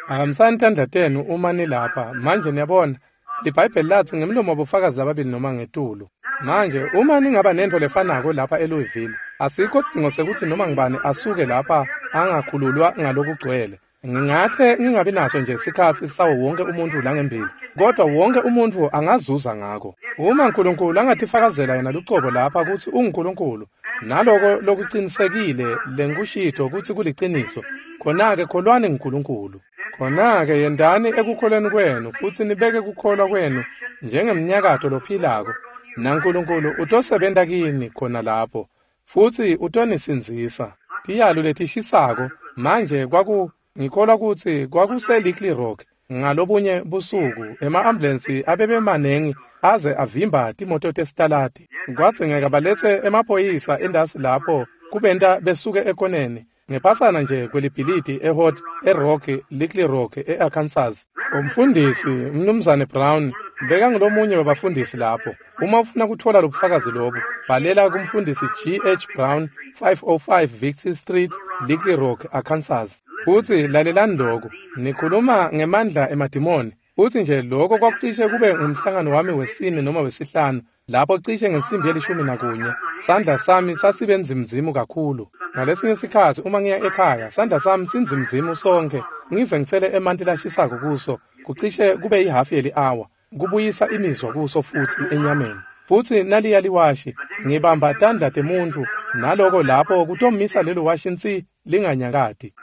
Phakamisani tandla tenu uma nilapha. Manje niyabona liBhayibheli latsi ngemlomo wabofakazi lababili noma ngetulu. Manje uma ningaba nentfo lefanako lapha eLouisville, asikho sidzingo sekutsi noma ngibani asuke lapha angakhululwa ngalokugcwele. Ngingahle ngingabi naso nje sikhatsi sawo wonke umuntfu langembili, kodwa wonke umuntfu angazuza ngako. Uma uNkulunkulu angatifakazela yena lucobo lapha kutsi unguNkulunkulu, naloko lokucinisekile lengikushito kutsi kuliciniso, khona-ke kholwani nguNkulunkulu. Khona-ke yendani ekukholweni kwenu futsi nibeke kukholwa kwenu njengemnyakato lophilako, naNkulunkulu utosebenta kini khona lapho futsi utonisindzisa. Tiyalo letishisako manje kwaku ngikholwa kutsi kwakuse Little Rock ngalobunye busuku ema-ambulensi abebemanengi aze avimba timoto tesitaladi. Kwadzingeka baletse emaphoyisa endasi lapho kubenta besuke ekoneni ngephasana nje kwelibhilidi eHot eRock Little Rock eArkansas. Umfundisi Mnumzane Brown bekangulomunye wabafundisi lapho. Uma ufuna kutfola lobufakazi lobu, bhalela kumfundisi G H Brown five oh five Victory Street, Little Rock, Arkansas. Futsi lalelani lokhu, nikhuluma ngemandla emadimoni. Futsi nje lokho kwakucishe kube ngumhlangano wami wesine noma wesihlanu lapho cishe ngensimbi yelishumi nakunye sandla sami sasibe nzimzimu kakhulu. Ngalesinye sikhatsi uma ngiya ekhaya sandla sami sinzimzimu sonke, ngize ngitsele emanti lashisako kuso kucishe kube yihafu yeli-awa kubuyisa imizwa kuso futsi enyameni. Futsi naliya liwashi ngibamba tandla temuntfu naloko lapho kutomisa lelo washi nsi linganyakati.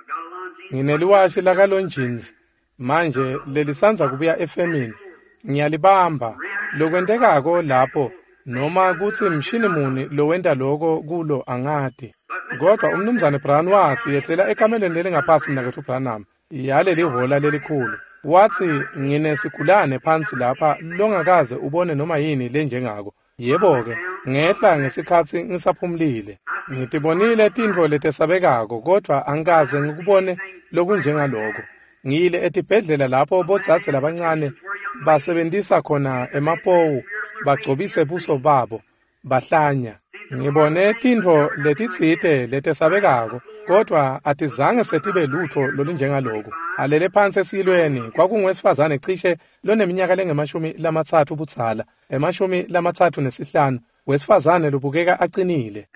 Ngineliwashi lakaLongines manje lelisandza kubuya efemini, ngiyalibamba. Lokwentekako lapho noma kutsi mshini muni lowenta loko kulo angati. Kodwa umnumzane Brown watsi yehlela ekamelweni lelingaphasi mnaketfu Branham yaleli hhola lelikhulu. Watsi nginesigulane phansi lapha longakaze ubone noma yini lenjengako. Yebo-ke, ngehla ngesikhatsi ngisaphumulile. Ngitibonile tintfo letesabekako kodvwa angikaze ngikubone lokunjengaloko. Ngiyile etibhedlela lapho bodzadze labancane basebentisa khona emapowu bagcobise buso babo bahlanya. Ngibone tintfo letitsite letesabekako kodvwa atizange setibe lutfo lolunjengaloku. Alele phansi esilweni kwakungowesifazane cishe loneminyaka lengemashumi lamatsatfu budzala, emashumi lamatsatfu nesihlanu, wesifazane lobukeka acinile.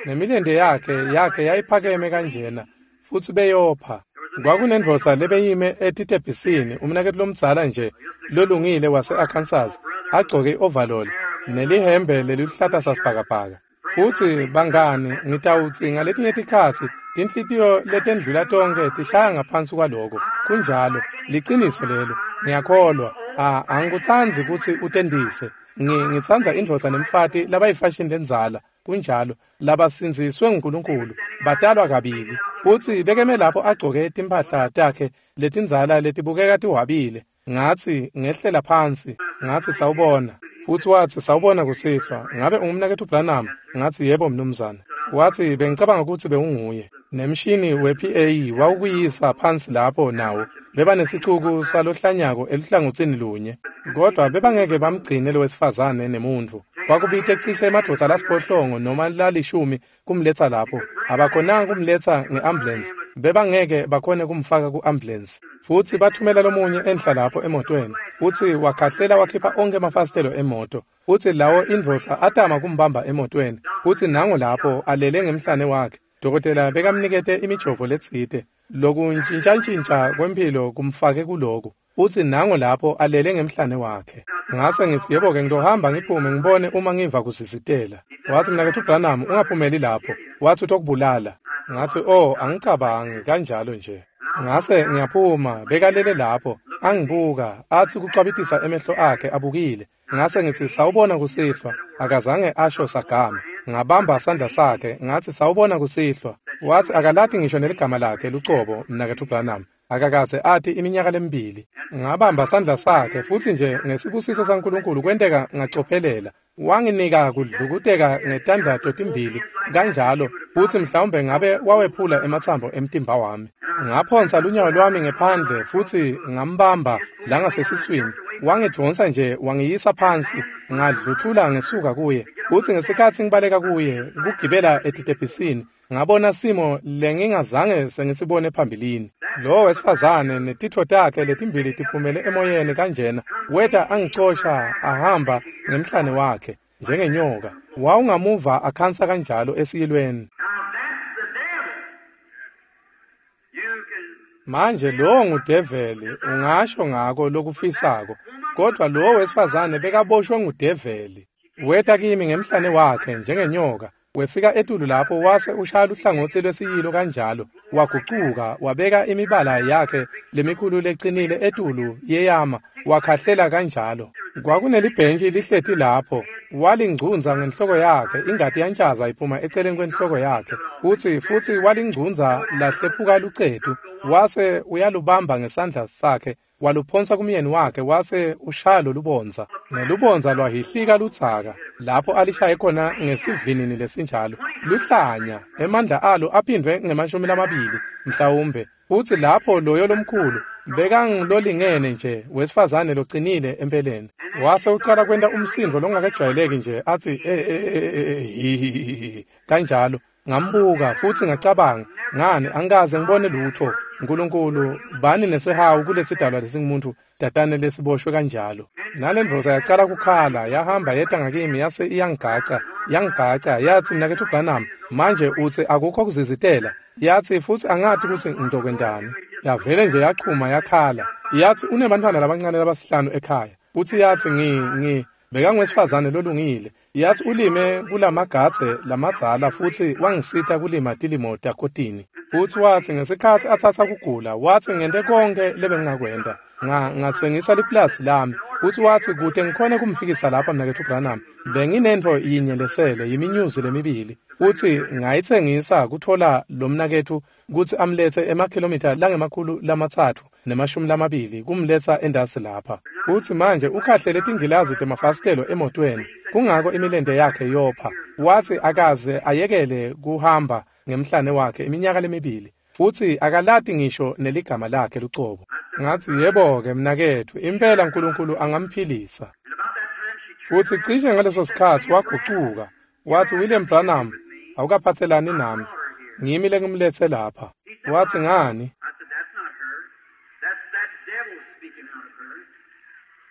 Nemilente yakhe yakhe yayiphakeme kanjena futsi beyopha. Kwakunendvodza lebeyime etitebhisini, umnaketfu lomdzala nje lolungile wase-Arkansas, agcoke i-overall nelihembe leliluhlata sasibhakabhaka. Futsi bangani, ngitawutsi ngaletinye tikhatsi tinhlitiyo letendlula tonkhe tishaya ngaphansi kwaloko. Kunjalo, liciniso lelo. Ngiyakholwa. Ah, angikutsandzi kutsi utendise. Ngitsandza indvodza nemfati labayifashini lendzala. Kunjalo, labasindziswe nguNkulunkulu, batalwa kabili. Futsi bekeme lapho agcoke timphahla takhe letindzala letibukeka tiwabile. Ngatsi ngehlela phansi, ngatsi sawubona. Futsi watsi sawubona kusihlwa. Ngabe ungumnaketfu Branham? Ngatsi yebo mnumzane. Watsi bengicabanga kutsi bewunguye. Nemshini we-P A wawukuyisa phansi lapho nawo. Bebanesicuku salohlanyako eluhlangotsini lunye. Kodwa bebangeke bamgcine lowesifazane nemuntfu. Kwakubite cishe emadvodza lasiphohlongo noma lalishumi kumletsa lapho. Abakhonanga kumletsa nge-ambulance. Bebangeke bakhone kumfaka ku-ambulance. Futsi bathumela lomunye enhla lapho emotweni. Futsi wakhahlela wakhipha onkhe emafasitelo emoto. Futsi lawo indvodza atama kumbamba emotweni. Futsi nango lapho alele ngemhlane wakhe. Dokotela bekamnikete imijovo letsite. Lokuntjintjantjintja kwemphilo kumfake kuloku. Futsi nango lapho alele ngemhlane wakhe. Ngase ngitsi yebo-ke ngitohamba ngiphume ngibone uma ngiva kusisitela. Watsi mnaketfu Branham ungaphumeli lapho. Watsi utokubulala. Ngatsi oh angicabangi kanjalo nje. Ngase ngiyaphuma bekalele lapho angibuka atsi kucwabitisa emehlo akhe abukile. Ngase ngitsi sawubona kusihlwa. Akazange asho sagama. Ngabamba sandla sakhe ngatsi sawubona kusihlwa. Watsi akalati ngisho neligama lakhe lucobo mnaketfu Branham. Akakaze ati iminyaka lemibili. Ngabamba sandla sakhe futsi nje ngesibusiso saNkulunkulu kwenteka ngacophelela. Wanginika kudlukuteka ngetandla totimbili kanjalo futsi mhlawumbe ngabe wawephula ematsambo emtimba wami. Ngaphonsa lunyawo lwami ngephandle futsi ngambamba langasesiswini. Wangidvonsa nje wangiyisa phansi ngadluthula ngesuka kuye. Futsi ngesikhatsi ngibaleka kuye kugibela etitebhisini ngabona simo lengingazange sengisibone phambilini. Lo wesifazane netitfo takhe letimbili tiphumele emoyeni kanjena weta angicosha ahamba ngemhlane wakhe njengenyoka. Wawungamuva akhansa kanjalo esiyilweni. Manje lo ngudeveli ungasho ngako lokufisako, kodwa lo wesifazane bekaboshwe ngudeveli. Weta kimi ngemhlane wakhe njengenyoka. Wefika etulu lapho wase ushaya luhlangotsi lwesiyilo kanjalo wagucuka wabeka imibala yakhe lemikhulu lecinile etulu yeyama wakhahlela kanjalo. Kwakunelibhentshi lihleti lapho walingcunza ngenhloko yakhe ingati yantshaza iphuma eceleni kwenhloko yakhe futsi futsi walingcunza lahlephuka lucetu wase uyalubamba ngesandla sakhe waluphonsa kumyeni wakhe wase ushaya lolubondza nelubondza lwahihlika ludzaka lapho alishaye khona ngesivinini lesinjalo luhlanya emandla alo aphindvwe ngemashumi lamabili mhlawumbe. Futsi lapho loyo lomkhulu bekangilolingene nje wesifazane locinile empeleni wase ucala kwenta umsindvo longakajwayeleki nje atsi eh kanjalo. Ngambuka futsi ngacabanga ngani angikaze ngibone lutho. Nkulunkulu bani nesihawu kulesidalwa lesingumuntu tatane lesiboshwe kanjalo. Nalendvodza yacala kukhala yahamba yeta ngakimi yase iyangigaca yangigaca yatsi mnaketfu Branham manje utsi akukho kuzizitela. Yatsi futsi angati kutsi ngitokwentani. Yavele nje yachuma yakhala yatsi unebantfwana labancane labasihlanu ekhaya futsi yatsi ngi ngi bekangwesifazane lolungile. Yatsi ulime kulamagadze lamadzala futsi wangisita kulima tilimo takotini. Futsi watsi ngesikhatsi atsatsa kugula watsi ngente konke lebengingakwenta nga ngatsengisa liplasi lami. Futsi watsi kute ngikhone kumfikisa lapha mnaketfu Branham benginentfo yinye lesele yiminyuzi lemibili futsi ngayitsengisa kutfola lo mnaketfu kutsi amlethe emakhilomitha langemakhulu lamatsatfu nemashumi lamabili kumletsa endasi lapha. Futsi manje ukhahlele tingilazi temafasitelo emotweni kungako imilente yakhe yopha. Watsi akaze ayekele kuhamba ngemhlane wakhe iminyaka lemibili futsi akalati ngisho neligama lakhe lucobo. Ngatsi yebo-ke mnaketfu impela Nkulunkulu angamphilisa. Futsi cishe ngaleso sikhatsi wagucuka watsi William Branham awukaphatselani nami ngimi lengimletse lapha. Watsi ngani?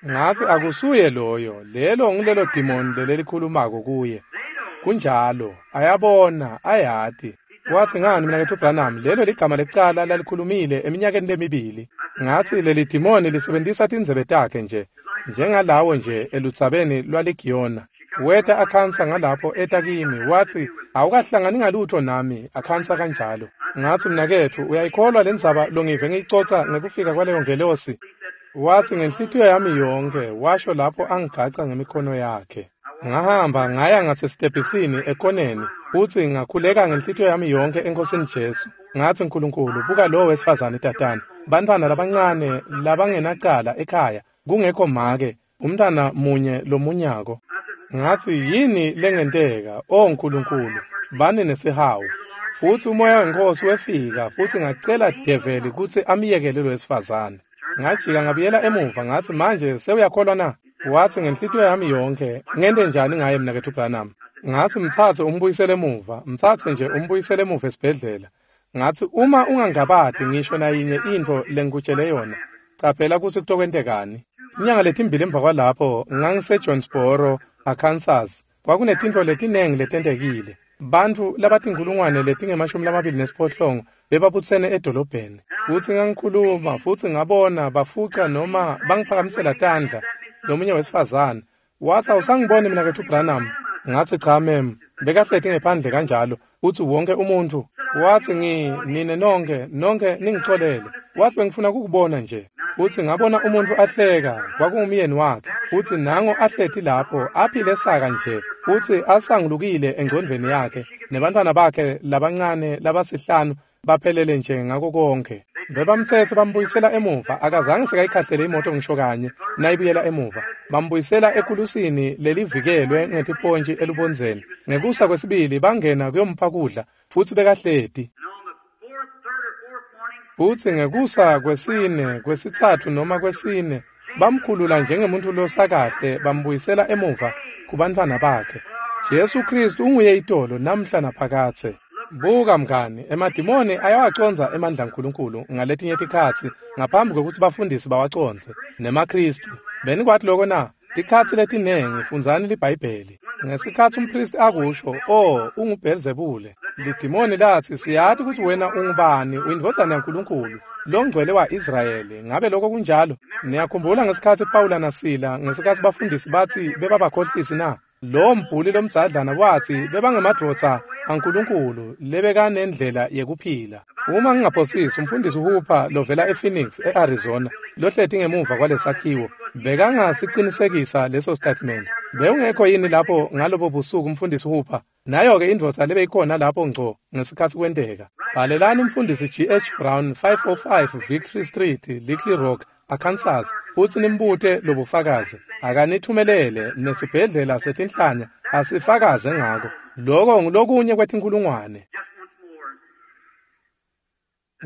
Ngatsi akusuye loyo lelo ngilelo dimoni lelelikhulumako kuye. Kunjalo ayabona ayati. Watsi ngani mnaketfu Branham lelo ligama lekucala lalikhulumile eminyakeni lemibili. Ngatsi leli dimoni lisebentisa tindzebe takhe nje njengalawo nje eludzabeni lwaligiyona. Weta akhansa ngalapho eta kimi watsi awukahlangani ngalutho nami akhansa kanjalo. Ngatsi mnaketfu uyayikholwa lendzaba longive ngiyicoca ngekufika kwaleyo ngelosi? Watsi ngenhlitiyo yami yonke washo lapho angigaca ngemikhono yakhe. Ngahamba ngaya ngasesitebhisini ekoneni futsi ngakhuleka ngenhlitiyo yami yonke eNkosini Jesu. Ngatsi Nkulunkulu buka lo wesifazane tatane bantfwana labancane labangenacala ekhaya kungekho make umntana munye lomunyako. Ngatsi yini lengenteka o Nkulunkulu bani nesihawu. Futsi umoya weNkhosi wefika futsi ngacela develi kutsi amyekele lo wesifazane. Ngajika ngabuyela emuva ngatsi manje sewuyakholwa na? Watsi ngenhlitiyo yami yonke ngente njani ngaye mnaketfu Branham? Ngatsi mtsatse umbuyisele emuva mtsatse nje umbuyisele emuva esibhedlela. Ngatsi uma ungangabati ngisho nayinye intfo lengikutshele yona caphela kutsi kutokwentekani. Inyanga letimbili emva kwalapho ngangise-Jonesboro, Arkansas. Kwakunetintfo letinengi letentekile. Bantfu labatinkhulungwane letingemashumi lamabili nesiphohlongo bebabutsene edolobheni. Futsi ngangikhuluma futsi ngabona bafuca noma bangiphakamisela tandla lomunye wesifazane. Watsi awusangiboni mnaketfu Branham? Ngatsi cha mem. Bekahleti ngephandle kanjalo futsi wonke umuntfu watsi ngi nine nonke nonke ningicolele. Watsi bengifuna kukubona nje. Futsi ngabona umuntfu ahleka kwakungumyeni wakhe futsi nango ahleti lapho aphile saka nje futsi asangulukile engcondvweni yakhe nebantfwana bakhe labancane labasihlanu baphelele nje ngako konke. Bebamtsetsa bambuyisela emuva, akazange sekayikhahlele imoto ngisho kanye nayibuyela emuva. Bambuyisela ekulusini lelivikelwe ngetipontji elubondzeni. Ngekusa kwesibili bangena kuyompha kudla futsi bekahleti. Futsi ngekusa kwesine, kwesitsatfu noma kwesine, bamkhulula njengemuntu losakahle bambuyisela emuva kubantfwana bakhe. Jesu Kristu unguye itolo namhla naphakadze. Buka mngani, emadimoni ayawacondza emandla aNkulunkulu ngaletinye tikhatsi ngaphambi kwekutsi bafundisi bawacondze nemaKristu. Benikwati loko na? Tikhatsi letinengi fundzani liBhayibheli. Ngesikhatsi umpristi akusho, "Oh, unguBhelzebule." Lidimoni latsi, "Siyati kutsi wena ungubani, uyindvodzana yaNkulunkulu, longcwele wa-Israyeli." Ngabe lokho kunjalo? Niyakhumbula ngesikhatsi Pawula naSila, ngesikhatsi bafundisi batsi bebabakhohlisi na? Lo mbhuli lomdzadlana watsi bebangemadvodza aNkulunkulu lebekanendlela yekuphila. Uma ngingaphosisi, umfundisi Hooper lovela ePhoenix, e-Arizona, lohleti ngemuva kwalesakhiwo, bekangasicinisekisa leso statement. Bewungekho yini lapho ngalobo busuku umfundisi Hooper? Nayo-ke indvodza lebeyikhona lapho ngco ngesikhatsi kwenteka. Bhalelani umfundisi G H Brown, five oh five Victory Street, Little Rock, Arkansas, futsi nimbute lobufakazi. Akanithumelele nesibhedlela setinhlanya asifakaze ngako. Loko ngulokunye kwetinkulungwane.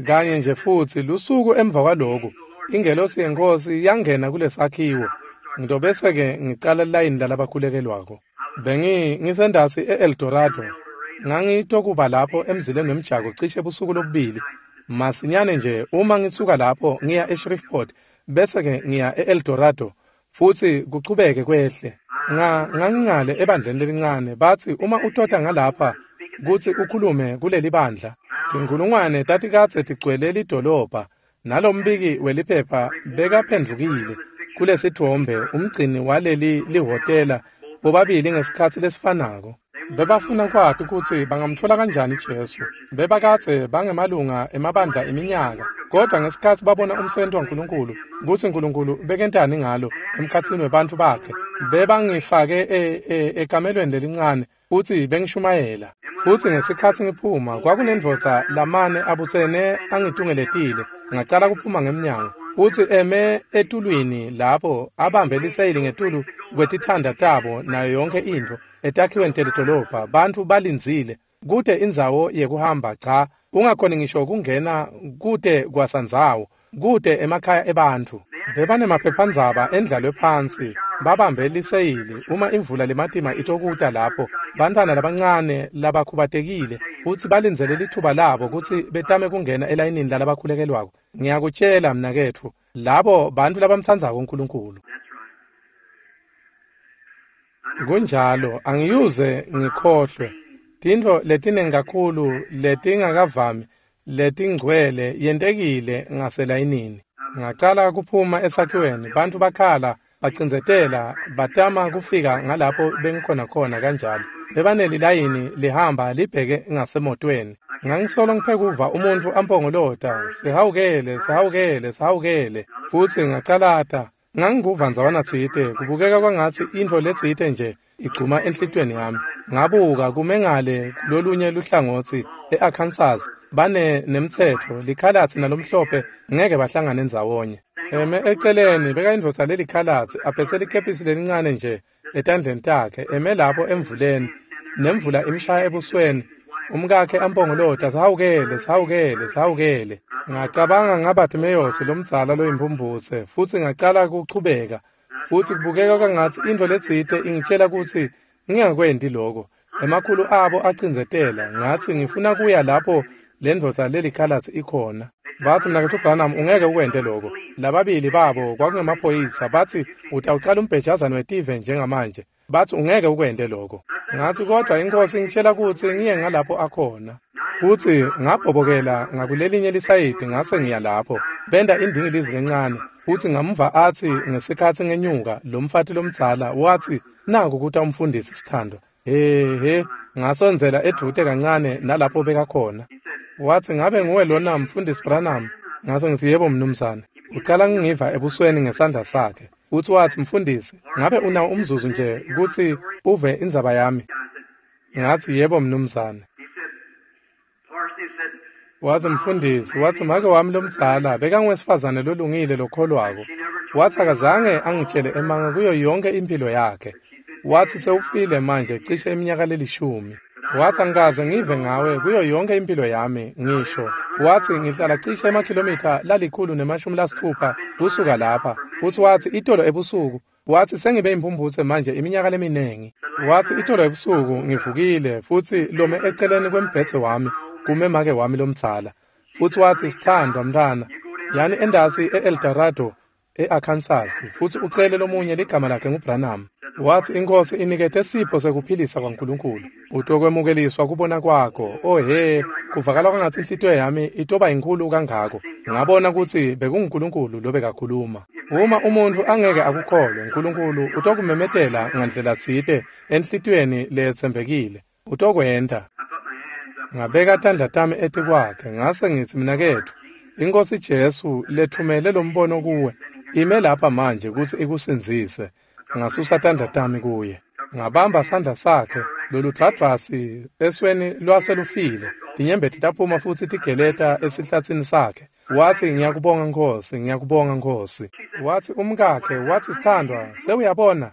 Kanye nje futsi lusuku emva kwaloku, ingelosi yeNkhosi yangena kulesakhiwo. Ngitobese-ke ngicala layini lalabakhulekelwako. Bengi ngisendasi e-El Dorado. Ngangitokuba lapho emzileni wemjako cishe busuku lobubili. Masinyane nje uma ngisuka lapho ngiya eShreveport, bese-ke ngiya e-El Dorado futsi kuchubeke kwehle. Nga ngangingale ebandleni lelincane, batsi uma utota ngalapha kutsi ukhulume kuleli bandla. Tinkulungwane tatikadze tigcwele lidolobha, nalombiki weliphepha bekaphendvukile kulesitfombe umgcini waleli lihhotela bobabili ngesikhatsi lesifanako. Bebafuna kwati kutsi bangamtfola kanjani Jesu. Bebakadze bangemalunga emabandla iminyaka, kodwa ngesikhatsi babona umsebenti waNkulunkulu, kutsi Nkulunkulu bekentani ngalo emkhatsini webantfu bakhe, bebangifake ekamelweni lelincane futsi bengishumayela. Futsi ngesikhatsi ngiphuma, kwakunendvodza lamane abutsene angitungeletile. Ngacala kuphuma ngemnyango, futsi eme etulwini lapho abambe liseyili ngetulu kwetithanda tabo nayo yonke intfo etakhiweni telidolobha. Bantfu balindzile, kute indzawo yekuhamba, cha, ungakhoni ngisho kungena, kute kwasandzawo, kute emakhaya ebantfu. Bebanemaphephandzaba endlalwe phansi, babambe liseyili uma imvula lematima itokuta lapho, bantfwana labancane labakhubatekile futsi balindzele lithuba labo kutsi betame kungena elayinini lalabakhulekelwako. Ngiyakutshela mnaketfu, labo bantfu labamtsandzako uNkulunkulu. Kunjalo, angiyuze ngikhohlwe. Tintfo letinengi kakhulu letingakavami letingcwele yentekile ngaselayinini. Ngacala kuphuma esakhiweni, bantfu bakhala, bacindzetela, batama kufika ngalapho bengikhona khona kanjalo. Bebanelilayini lihamba libheke ngasemotweni. Ngangisolo ngiphekuva umuntfu ampongolota, "Sihawukele, sihawukele, sihawukele." Futsi ngacalata. Ngangikuva ndzawana tsite, kubukeka kwangatsi intfo letsite nje igcuma enhlitiyweni yami. Ngabuka kume ngale lolunye luhlangotsi e-Arkansas, bane nemtsetfo, likhalatsi nalomhlophe ngeke bahlangane ndzawonye. Eme eceleni bekayindvodza lelikhalatsi, aphetse likepisi lelincane nje etandleni takhe, eme lapho emvuleni, nemvula imshaya ebusweni. Umkakhe ampongolota, "Sihawukele, sihawukele, sihawukele." Ngacabanga ngaBartimeyosi lomdzala loyimphumputse, futsi ngacala kuchubeka, futsi kubukeka kwangatsi intfo letsite ingitshela kutsi ngingakwenti loko. Emakhulu abo acindzetela, ngatsi ngifuna kuya lapho lendvodza lelikhalatsi ikhona. Batsi, "Mnaketfu Branham, ungeke ukwente loko." Lababili babo kwakungemaphoyisa, batsi utawucala umbhejazane wetive njengamanje. Batsi ungeke ukwente loko. Ngatsi kodwa iNkhosi ingitshela kutsi ngiye ngalapho akhona. Futsi ngabhobokela ngakulelinye lisayidi ngase ngiya lapho. Benta indingilizi lencane, futsi ngamva atsi ngesikhatsi ngenyuka lo mfati lomdzala watsi, "Naku kuta umfundisi sithandwa." He he, ngasondzela edvute kancane nalapho bekakhona. Watsi, "Ngabe nguwe lona mfundisi Branham?" Ngase ngitsi, "Yebo mnumzane." Ucala ngiva ebusweni ngesandla sakhe. Futsi watsi, "Mfundisi, ngabe unawo umzuzu nje kutsi uve indzaba yami?" Ngatsi, "Yebo mnumzane." Wathi mfundisi, wathi make wami lomdzala bekangwesifazane lolungile lokholwako. Wathi akazange angitshele emanga kuyo yonke impilo yakhe. Wathi sewufile manje cishe iminyaka lelishumi. Wathi angikaze ngive ngawe kuyo yonke impilo yami ngisho. Wathi ngihlala cishe emakhilomitha lalikhulu nemashumi lasithupha kusuka lapha. Futhi wathi itolo ebusuku, wathi sengibe imphumphutse manje iminyaka leminingi. Wathi itolo ebusuku ngivukile futhi lome eceleni kwembhedze wami kume make wami lomdzala. Futhi wathi sithandwa mntana, yani endasi e-Eldorado e-Arkansas, futhi ucele lomunye ligama lakhe nguBranham. Wathi inkosi inikete sipho sekuphilisa kwaNkulunkulu. Utokwemukeliswa kubona kwakho. Oh he, kuvakala kwangathi inhlitiyo yami itoba inkulu kangako. Ngabona ukuthi bekunguNkulunkulu lobekakhuluma. Uma umuntu angeke akukholwe, uNkulunkulu utokumemetela ngandlela tsite enhlitiyweni leyetsembekile. Utokwenta. Ngabeka tandla tami etikwakhe ngase ngithi mnaketfu, iNkosi Jesu lethumele lombono kuwe ime lapha manje ukuthi ikusindzise. Ngasusa tandla tami kuye. Ngabamba sandla sakhe, loludvwadvwasi esweni lwaselufile. Tinyembeti taphuma futhi tigeleta esihlatsini sakhe. Wathi ngiyakubonga Nkosi, ngiyakubonga Nkosi. Wathi umkakhe, wathi sithandwa, sewuyabona?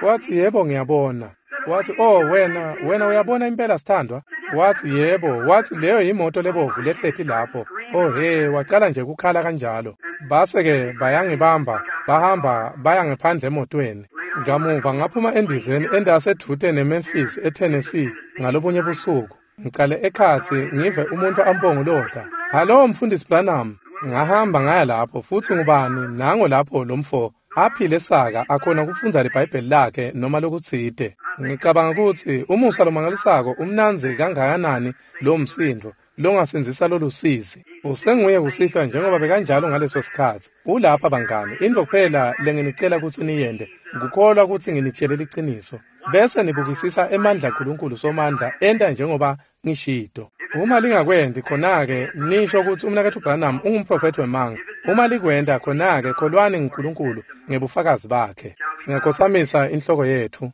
Wathi yebo ngiyabona. Wathi oh wena, wena uyabona impela sithandwa? Wathi yebo, wathi leyo yimoto lebovu lehleti lapho. Oh he, waqala nje kukhala kanjalo. Base-ke bayangibamba, bahamba baya ngephandle emotweni. Ngamuva ngaphuma endizeni endasedvute neMemphis eTennessee ngalobunye busuku. Ngiqale ekhatsi ngive umuntu ampongolota. Hallo mfundisi Branham. Ngahamba ngaya lapho futhi ngubani nango lapho lomfo aphile saka akhona kufundza iBhayibheli lakhe noma lokutsite. Ngicabanga ukuthi umusa lomangalisako umnandzi kangakanani lo msindo longasindzisa lolusizi. Usenguye kusihlwa njengoba bekanjalo ngaleso sikhatsi. Ulapha bangani, intfo kuphela lenginicela kutsi niyente kukholwa kutsi nginitshele liciniso. Bese nibukisisa emandla aNkulunkulu somandla enta njengoba ngishito. Uma lingakwenti khona-ke nisho kutsi umnaketfu Branham ungumprofethi wemanga. Uma likwenta khona-ke kholwani nguNkulunkulu ngebufakazi bakhe. Singakhotsamisa inhloko yetfu.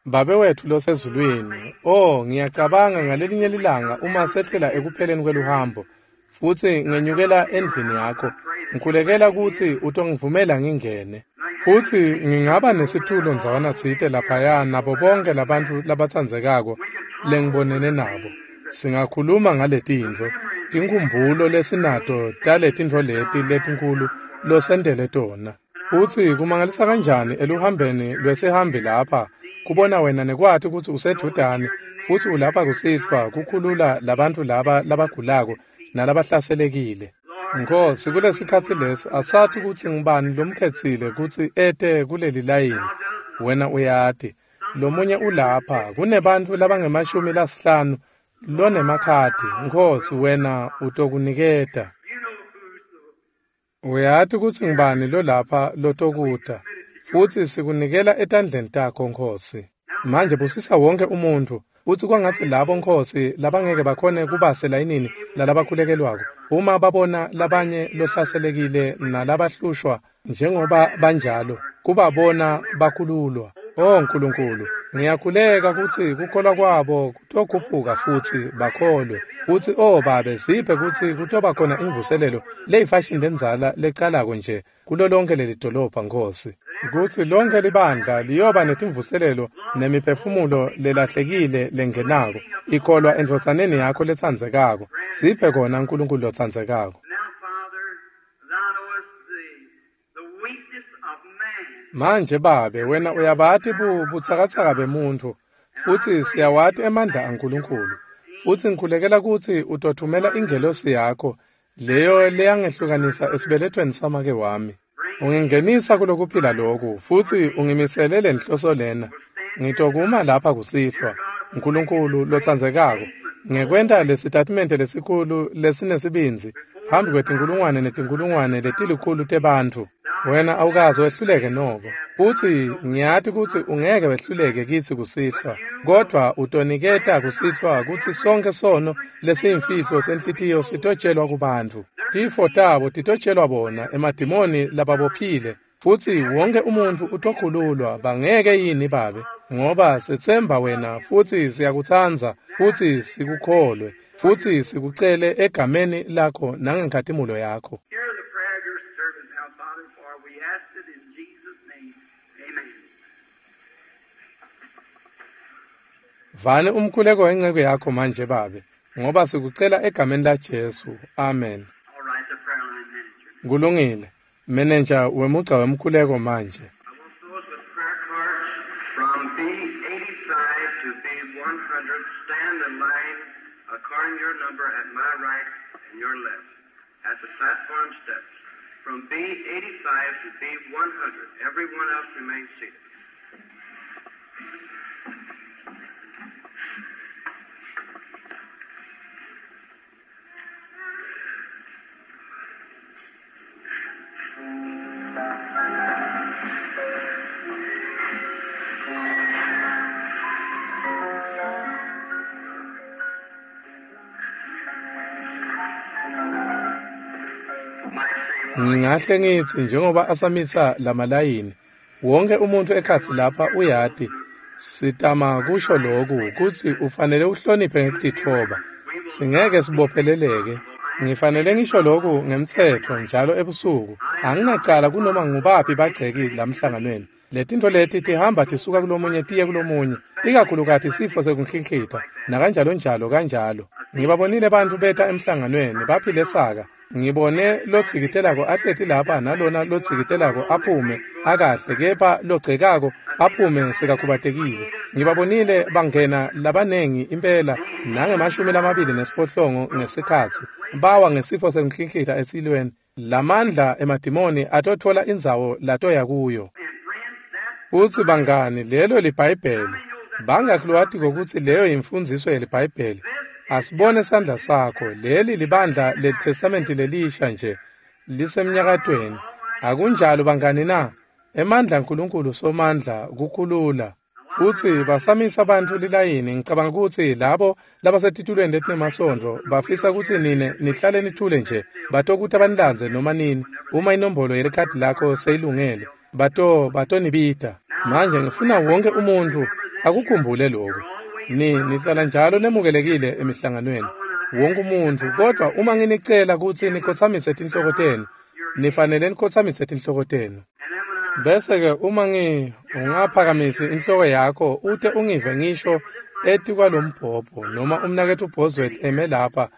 Babe wetfu losezulwini, oh ngiyacabanga ngalelinye lilanga uma sehlela ekupheleni kweluhambo futsi ngenyukela endlini yakho, ngikhulekela kutsi utongivumela ngingene. Futsi ngingaba nesitulo ndzawana tsite laphaya nabo bonke labantfu labatsandzekako lengibonene nabo. Singakhuluma ngaletintfo, tinkhumbulo lesinato taletintfo leti letinkulu losentele tona. Futsi kumangalisa kanjani eluhambeni lwesihambi lapha kubona wena nekwati kutsi usedvutane futsi ulapha kusihlwa kukhulula labantfu laba labagulako nalabahlaselekile. Nkosi, kulesikhatsi lesi asati kutsi ngubani lomkhetsile kutsi ete kuleli layini. Wena uyati. Lomunye ulapha kunebantfu labangemashumi lasihlanu lonemakhadi. Nkosi, wena utokuniketa. Uyati kutsi ngubani lolapha lotokuta. Futsi sikunikela etandleni takho Nkosi. Manje busisa wonke umuntfu. Utsi kwangatsi labo Nkosi labangeke bakhone kuba selayinini lalabakhulekelwako. Uma babona labanye lohlaselekile nalabahlushwa njengoba banjalo, kubabona bakhululwa. Oh Nkulunkulu, ngiyakhuleka kutsi kukholwa kwabo kutokhuphuka futsi bakholwe. Kutsi oh Babe, siphe kutsi kutoba khona imvuselelo leyifashini lendzala lecalako nje kulo lonke leli dolobha Nkosi. Kutsi lonke libandla liyoba netimvuselelo nemiphefumulo lelahlekile lengenako ikholwa endvodzaneni yakho letsandzekako. Siphe kona Nkulunkulu lotsandzekako. Manje Babe, wena uyabati butsakatsaka bemuntfu futsi siyawati emandla aNkulunkulu. Futsi ngikhulekela kutsi utothumela ingelosi yakho leyo leyangehlukanisa esibelethweni samake wami. Ungingenisa kulokuphila loku futsi ungimisele lenhloso lena. Ngitokuma lapha kusihlwa, Nkulunkulu lotsandzekako, ngekwenta lesitatimende lesikhulu lesinesibindzi phambi kwetinkulungwane netinkulungwane letilikhulu tebantfu. Wena awukaze wehluleke noko. Futsi ngiyati kutsi ungeke wehluleke kitsi kusihlwa, kodvwa utoniketa kusihlwa kutsi sonke sono lesiyimfihlo senhlitiyo sitotshelwa kubantfu. Tifo tabo titotshelwa bona, emadimoni lababophile, Futsi wonke umuntfu utokhululwa bangeke yini babe, ngoba setsemba wena futsi siyakutsandza futsi sikukholwe futsi sikucele egameni lakho nangenkhatimulo yakho. Hear the prayer of your servant now, Father, for we ask it in Jesus' name. Amen. Vani umkhuleko wenceku yakho manje babe, ngoba sikucela egameni la Jesu. Amen. All right, the prayer line manager. Kulungile. Manager wemugca wemkhuleko manje. I want those with prayer cards from B eighty-five to B one hundred stand in line according to your number at my right and your left at the platform steps. From B eighty-five to B one hundred, everyone else remain seated. Ngingahle ngitsi njengoba asamisa lamalayini, wonke umuntu ekhatsi lapha uyati sitama kusho loku kutsi ufanele uhloniphe ngekutitfoba. Singeke sibopheleleke. Ngifanele ngisho loku ngemtsetfo njalo ebusuku. Anginacala kunoma ngubaphi bagceki lamhlanganweni. Letintfo leti tihamba tisuka kulomunye tiye kulomunye, ikakhulukati sifo sekunhlinhlita nakanjalo njalo kanjalo. Ngibabonile bantfu beta emhlanganweni baphile saka. Ngibone lotsikitelako ahleti lapha nalona lotsikitelako aphume akahle kepha logcekako aphume sekakhubatekile. Ngibabonile bangena labanengi impela nangemashumi lamabili nesiphohlongo ngesikhatsi bawa ngesifo sekunhlinhlita esilweni. Lamandla emadimoni atotfola indzawo latoya kuyo. Futsi bangani, lelo liBhayibheli. Bangakhi lowatiko kutsi leyo yimfundziso yeliBhayibheli? Asibone sandla sakho. Leli libandla leliTestamenti lelisha nje lisemnyakatweni. Akunjalo bangani na? Emandla aNkulunkulu somandla kukhulula. Futsi basamisa bantfu lilayini. Ngicabanga kutsi labo labasetitulweni letinemasondvo bafisa kutsi nine nihlale nithule nje, batokuta banilandze noma nini uma inombolo yelikhadi lakho seyilungele, bato batonibita. Manje ngifuna wonke umuntfu akukhumbule lokhu. Ni nihlala njalo nemukelekile emihlanganweni wonke umuntfu, kodwa uma nginicela kutsi nikhotsamise tinhloko tenu, nifanele nikhotsamise tinhloko tenu. Bese-ke uma ngi ungaphakamisi inhloko yakho ute ungive ngisho etikwalombhobho noma umnaketfu Bosworth eme lapha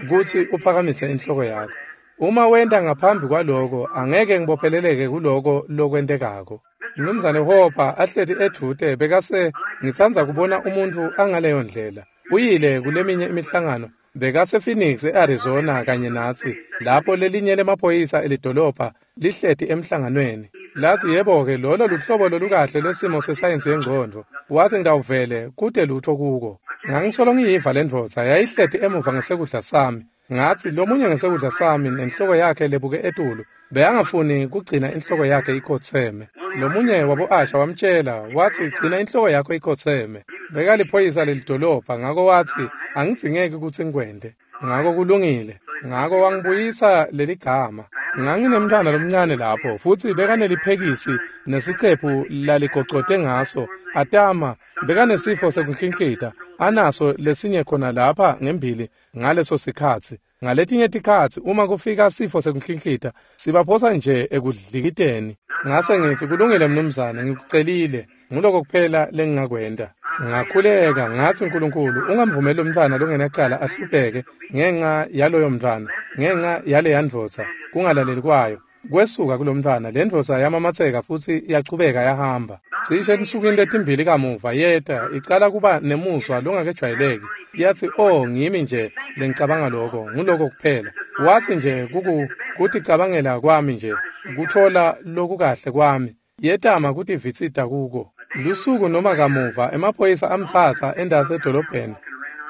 kutsi uphakamise inhloko yakho. Uma wenta ngaphambi kwaloko, angeke ngibopheleleke kuloko lokwentekako. Mnumzane Hopper ahleti edvute bekase ngitsandza kubona umuntfu angaleyo ndlela. Uyile kuleminye imihlangano, bekase Phoenix eArizona kanye natsi, lapho lelinye lemaphoyisa elidolobha lihleti emhlanganweni. Lathi yebo-ke lolo luhlobo lolukahle lwesimo sesayensi yengcondvo. Wathi ngitawuvele kute lutho kuko. Ngangisolo ngiyiva le ndvodza yayihleti emuva ngesekudla sami. Ngathi lomunye ngesekudla sami nenhloko yakhe lebuke etulu, bekangafuni kugcina inhloko yakhe ikhotseme. Lomunye wabo-asha wamtjela wathi gcina inhloko yakho ikhotseme. Bekaliphoyisa lelidolobha, ngako wathi angidzingeki kutsi ngikwente. Ngako kulungile. Ngako wangibuyisa leligama. Nganginemntfwana lomncane lapho futsi bekaneliphekisi nesicephu laligocote ngaso atama, bekanesifo sekunhlinhlita anaso lesinye khona lapha ngembili ngaleso sikhatsi. Ngaletinye tikhatsi uma kufika sifo sekunhlinhlita sibaphosa nje ekudlikiteni. Ngase ngitsi kulungile mnumzane, ngikucelile, nguloko kuphela lengingakwenta. Ngakhuleka ngathi Nkulunkulu ungamvumeli lomntfwana longenacala ahlupheke ngenxa yaloyo mntfwana, ngenxa yaleya ndvodza kungalaleli kwayo. Kwesuka kulomntfwana, le ndvodza yamamatseka futsi yachubeka yahamba. Cishe etinsukwini letimbili kamuva yeta icala kuba nemuzwa longakejwayeleki. Yathi oh ngimi nje lengicabanga lokho, nguloko kuphela. Wathi nje kuku kuticabangela kwami nje, kutfola lokukahle kwami. Yetama kutivitsita kuko. Lusuku noma kamuva emaphoyisa amtsatsa endase edolobheni,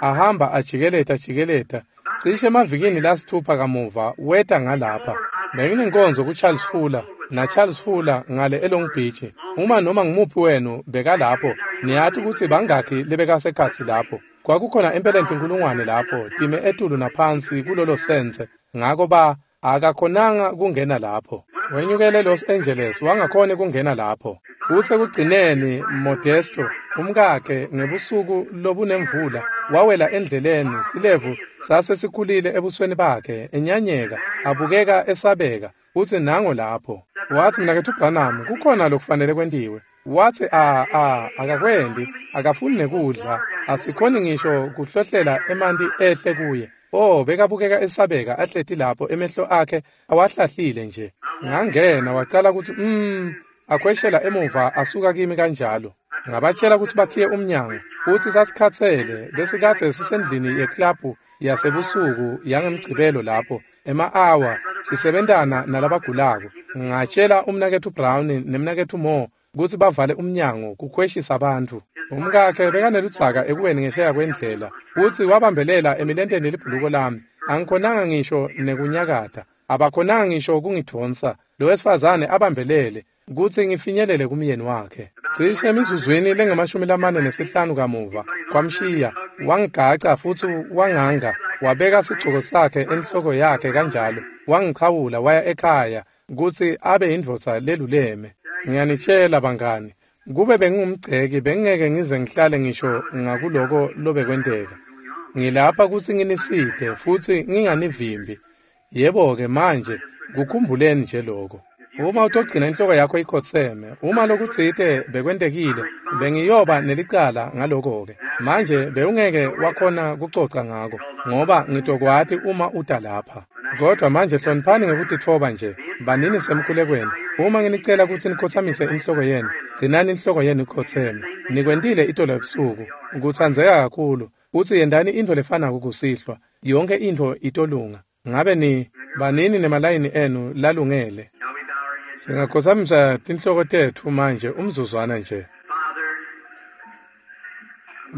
ahamba ajikeleta jikeleta. Cishe emavikini lasithupha kamuva weta ngalapha. Benginenkonzo kuCharles Fuller naCharles Fuller ngale eLong Beach. Uma noma ngumuphi wenu bekalapho, niyati kutsi bangakhi lebekasekhatsi lapho. Kwakukhona impela inkulungwane lapho time etulu naphansi kulolo sense. Ngako ba akakhonanga kungena lapho. Wenyukele eLos Angeles wangakhoni kungena lapho. Futsi ekugcineni Modesto, umkakhe, ngebusuku lobunemvula, wawela endleleni, silevu sasesikhulile ebusweni bakhe, enyanyeka, abukeka esabeka, futsi nango lapho. Watsi, Mnaketfu Branham, kukhona lokufanele kwentiwe. Watsi, a a akakwendi, akafuni nekudla, asikhoni ngisho kuhlohlela emanti ehle kuye. Oh, bekabukeka esabeka ahleti lapho, emehlo akhe awahlahlile nje. Ngangena wacala kutsi mm akhweshela emuva asuka kimi kanjalo. Ngabatshela kutsi bakhiye umnyango, futsi sasikhatsele besikadze sisendlini yeklabhu yasebusuku yangemgcibelo lapho ema-awa sisebentana nalabagulako. Ngatshela umnaketfu Brown nemnaketfu Moore kutsi bavale umnyango kukhweshisa bantfu. Umkakhe bekaneludzaka ekuweni ngesheya kwendlela, futsi wabambelela emilenteni yelibhuluko lami. Angikhonanga ngisho nekunyakata, abakhonanga ngisho kungidvonsa. Lo wesifazane abambelele kutsi ngifinyelele kumyeni wakhe. Cishe emizuzwini lengamashumi lamane nesihlanu kamuva kwamshiya, wangigaca futsi wanganga, wabeka sigcoko sakhe enhloko yakhe kanjalo, wangichawula waya ekhaya kutsi abe yindvodza leluleme. Ngiyanitshela bangani, kube bengingumgceki bengingeke ngize ngihlale ngisho ngakuloko lobekwenteka. Ngilapha kutsi nginisite futsi nginganivimbi. Yebo-ke manje kukhumbuleni nje lokho. Uma utogcina inhloko yakho ikhotseme, uma lokutsite bekwentekile, bengiyoba nelicala ngaloko-ke. Manje bewungeke wakhona kucoca ngako, ngoba ngitokwati uma uta lapha. Kodwa manje hloniphani ngekutitfoba nje, banini semkhulekweni. Uma nginicela kutsi nikhotsamise inhloko yenu, gcinani inhloko yenu ikhotseme. Nikwentile itolo ebusuku, kutsandzeka kakhulu, futsi yentani intfo lefanako kusihlwa. Yonkhe intfo itolunga. Ngabe ni banini nemalayini enu lalungele. Singakhotsamisa tinhloko tetfu manje umzuzwana nje.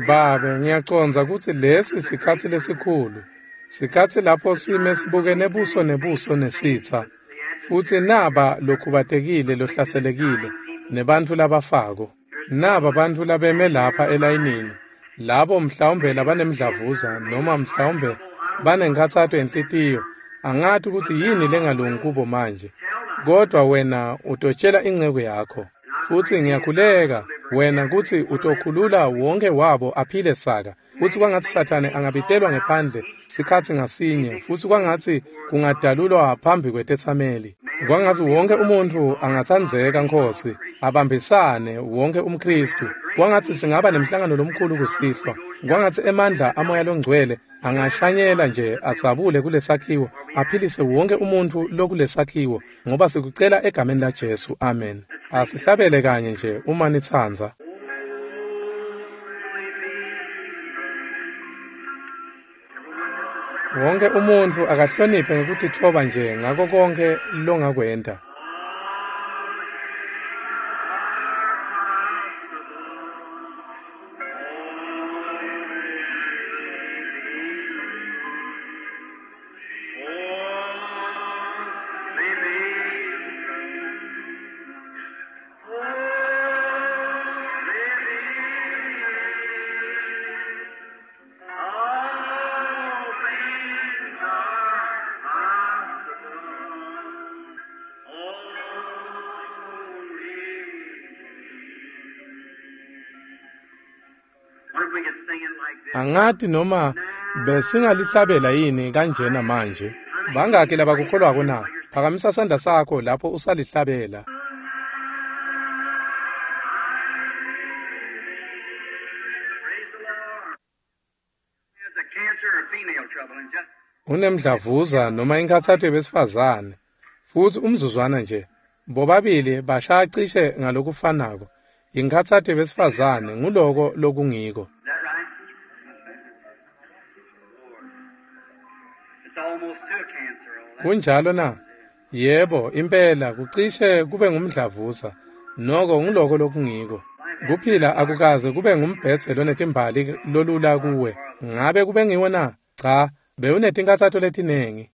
Babe, ngiyacondza kutsi lesi sikhatsi lesikhulu, sikhatsi lapho sime sibukene buso nebuso nesitsa, futsi naba lokhubatekile lohlaselekile nebantfu labafako, naba bantfu labeme lapha elayinini, labo mhlawumbe labanemdlavuza noma mhlawumbe banenkhatsato yenhlitiyo. Angati kutsi yini lengalungi kubo manje, kodwa wena utotshela inceku yakho. Futsi ngiyakhuleka wena kutsi utokhulula wonke wabo aphile saka, futsi kwangatsi Sathane angabitelwa ngephandle sikhatsi ngasinye, futsi kwangatsi kungadalulwa phambi kwetetsameli. Kwangatsi wonke umuntfu angatsandzeka, Nkhosi, abambisane wonke umKhristu. Kwangatsi singaba nemhlangano lomkhulu kusihlwa. Kwangatsi emandla amoya longcwele angashanyela nje adzabule kulesakhiwo, aphilise wonke umuntfu lokulesakhiwo, ngoba sikucela egameni laJesu. Amen. Asihlabele kanye nje uma nitsandza. Wonke umuntfu akahloniphe ngekutitfoba nje ngako konkhe longakwenta. Angati noma besingalihlabela yini kanjena manje. Bangaki labakukholwako na? Phakamisa sandla sakho lapho usalihlabela. Unemdlavuza noma inkhatsato yebesifazane, futsi umzuzwana nje, bobabili bashaya cishe ngalokufanako. Inkhatsato yebesifazane nguloko lokungiko. Kunjalo na? Yebo, impela kucishe kube ngumdlavuza, noko nguloko lokungiko. Kuphila akukaze kube ngumbhedze lonetimbali lolula kuwe. Ngabe kube ngiwo na? Cha, bewunetinkhatsato letinengi.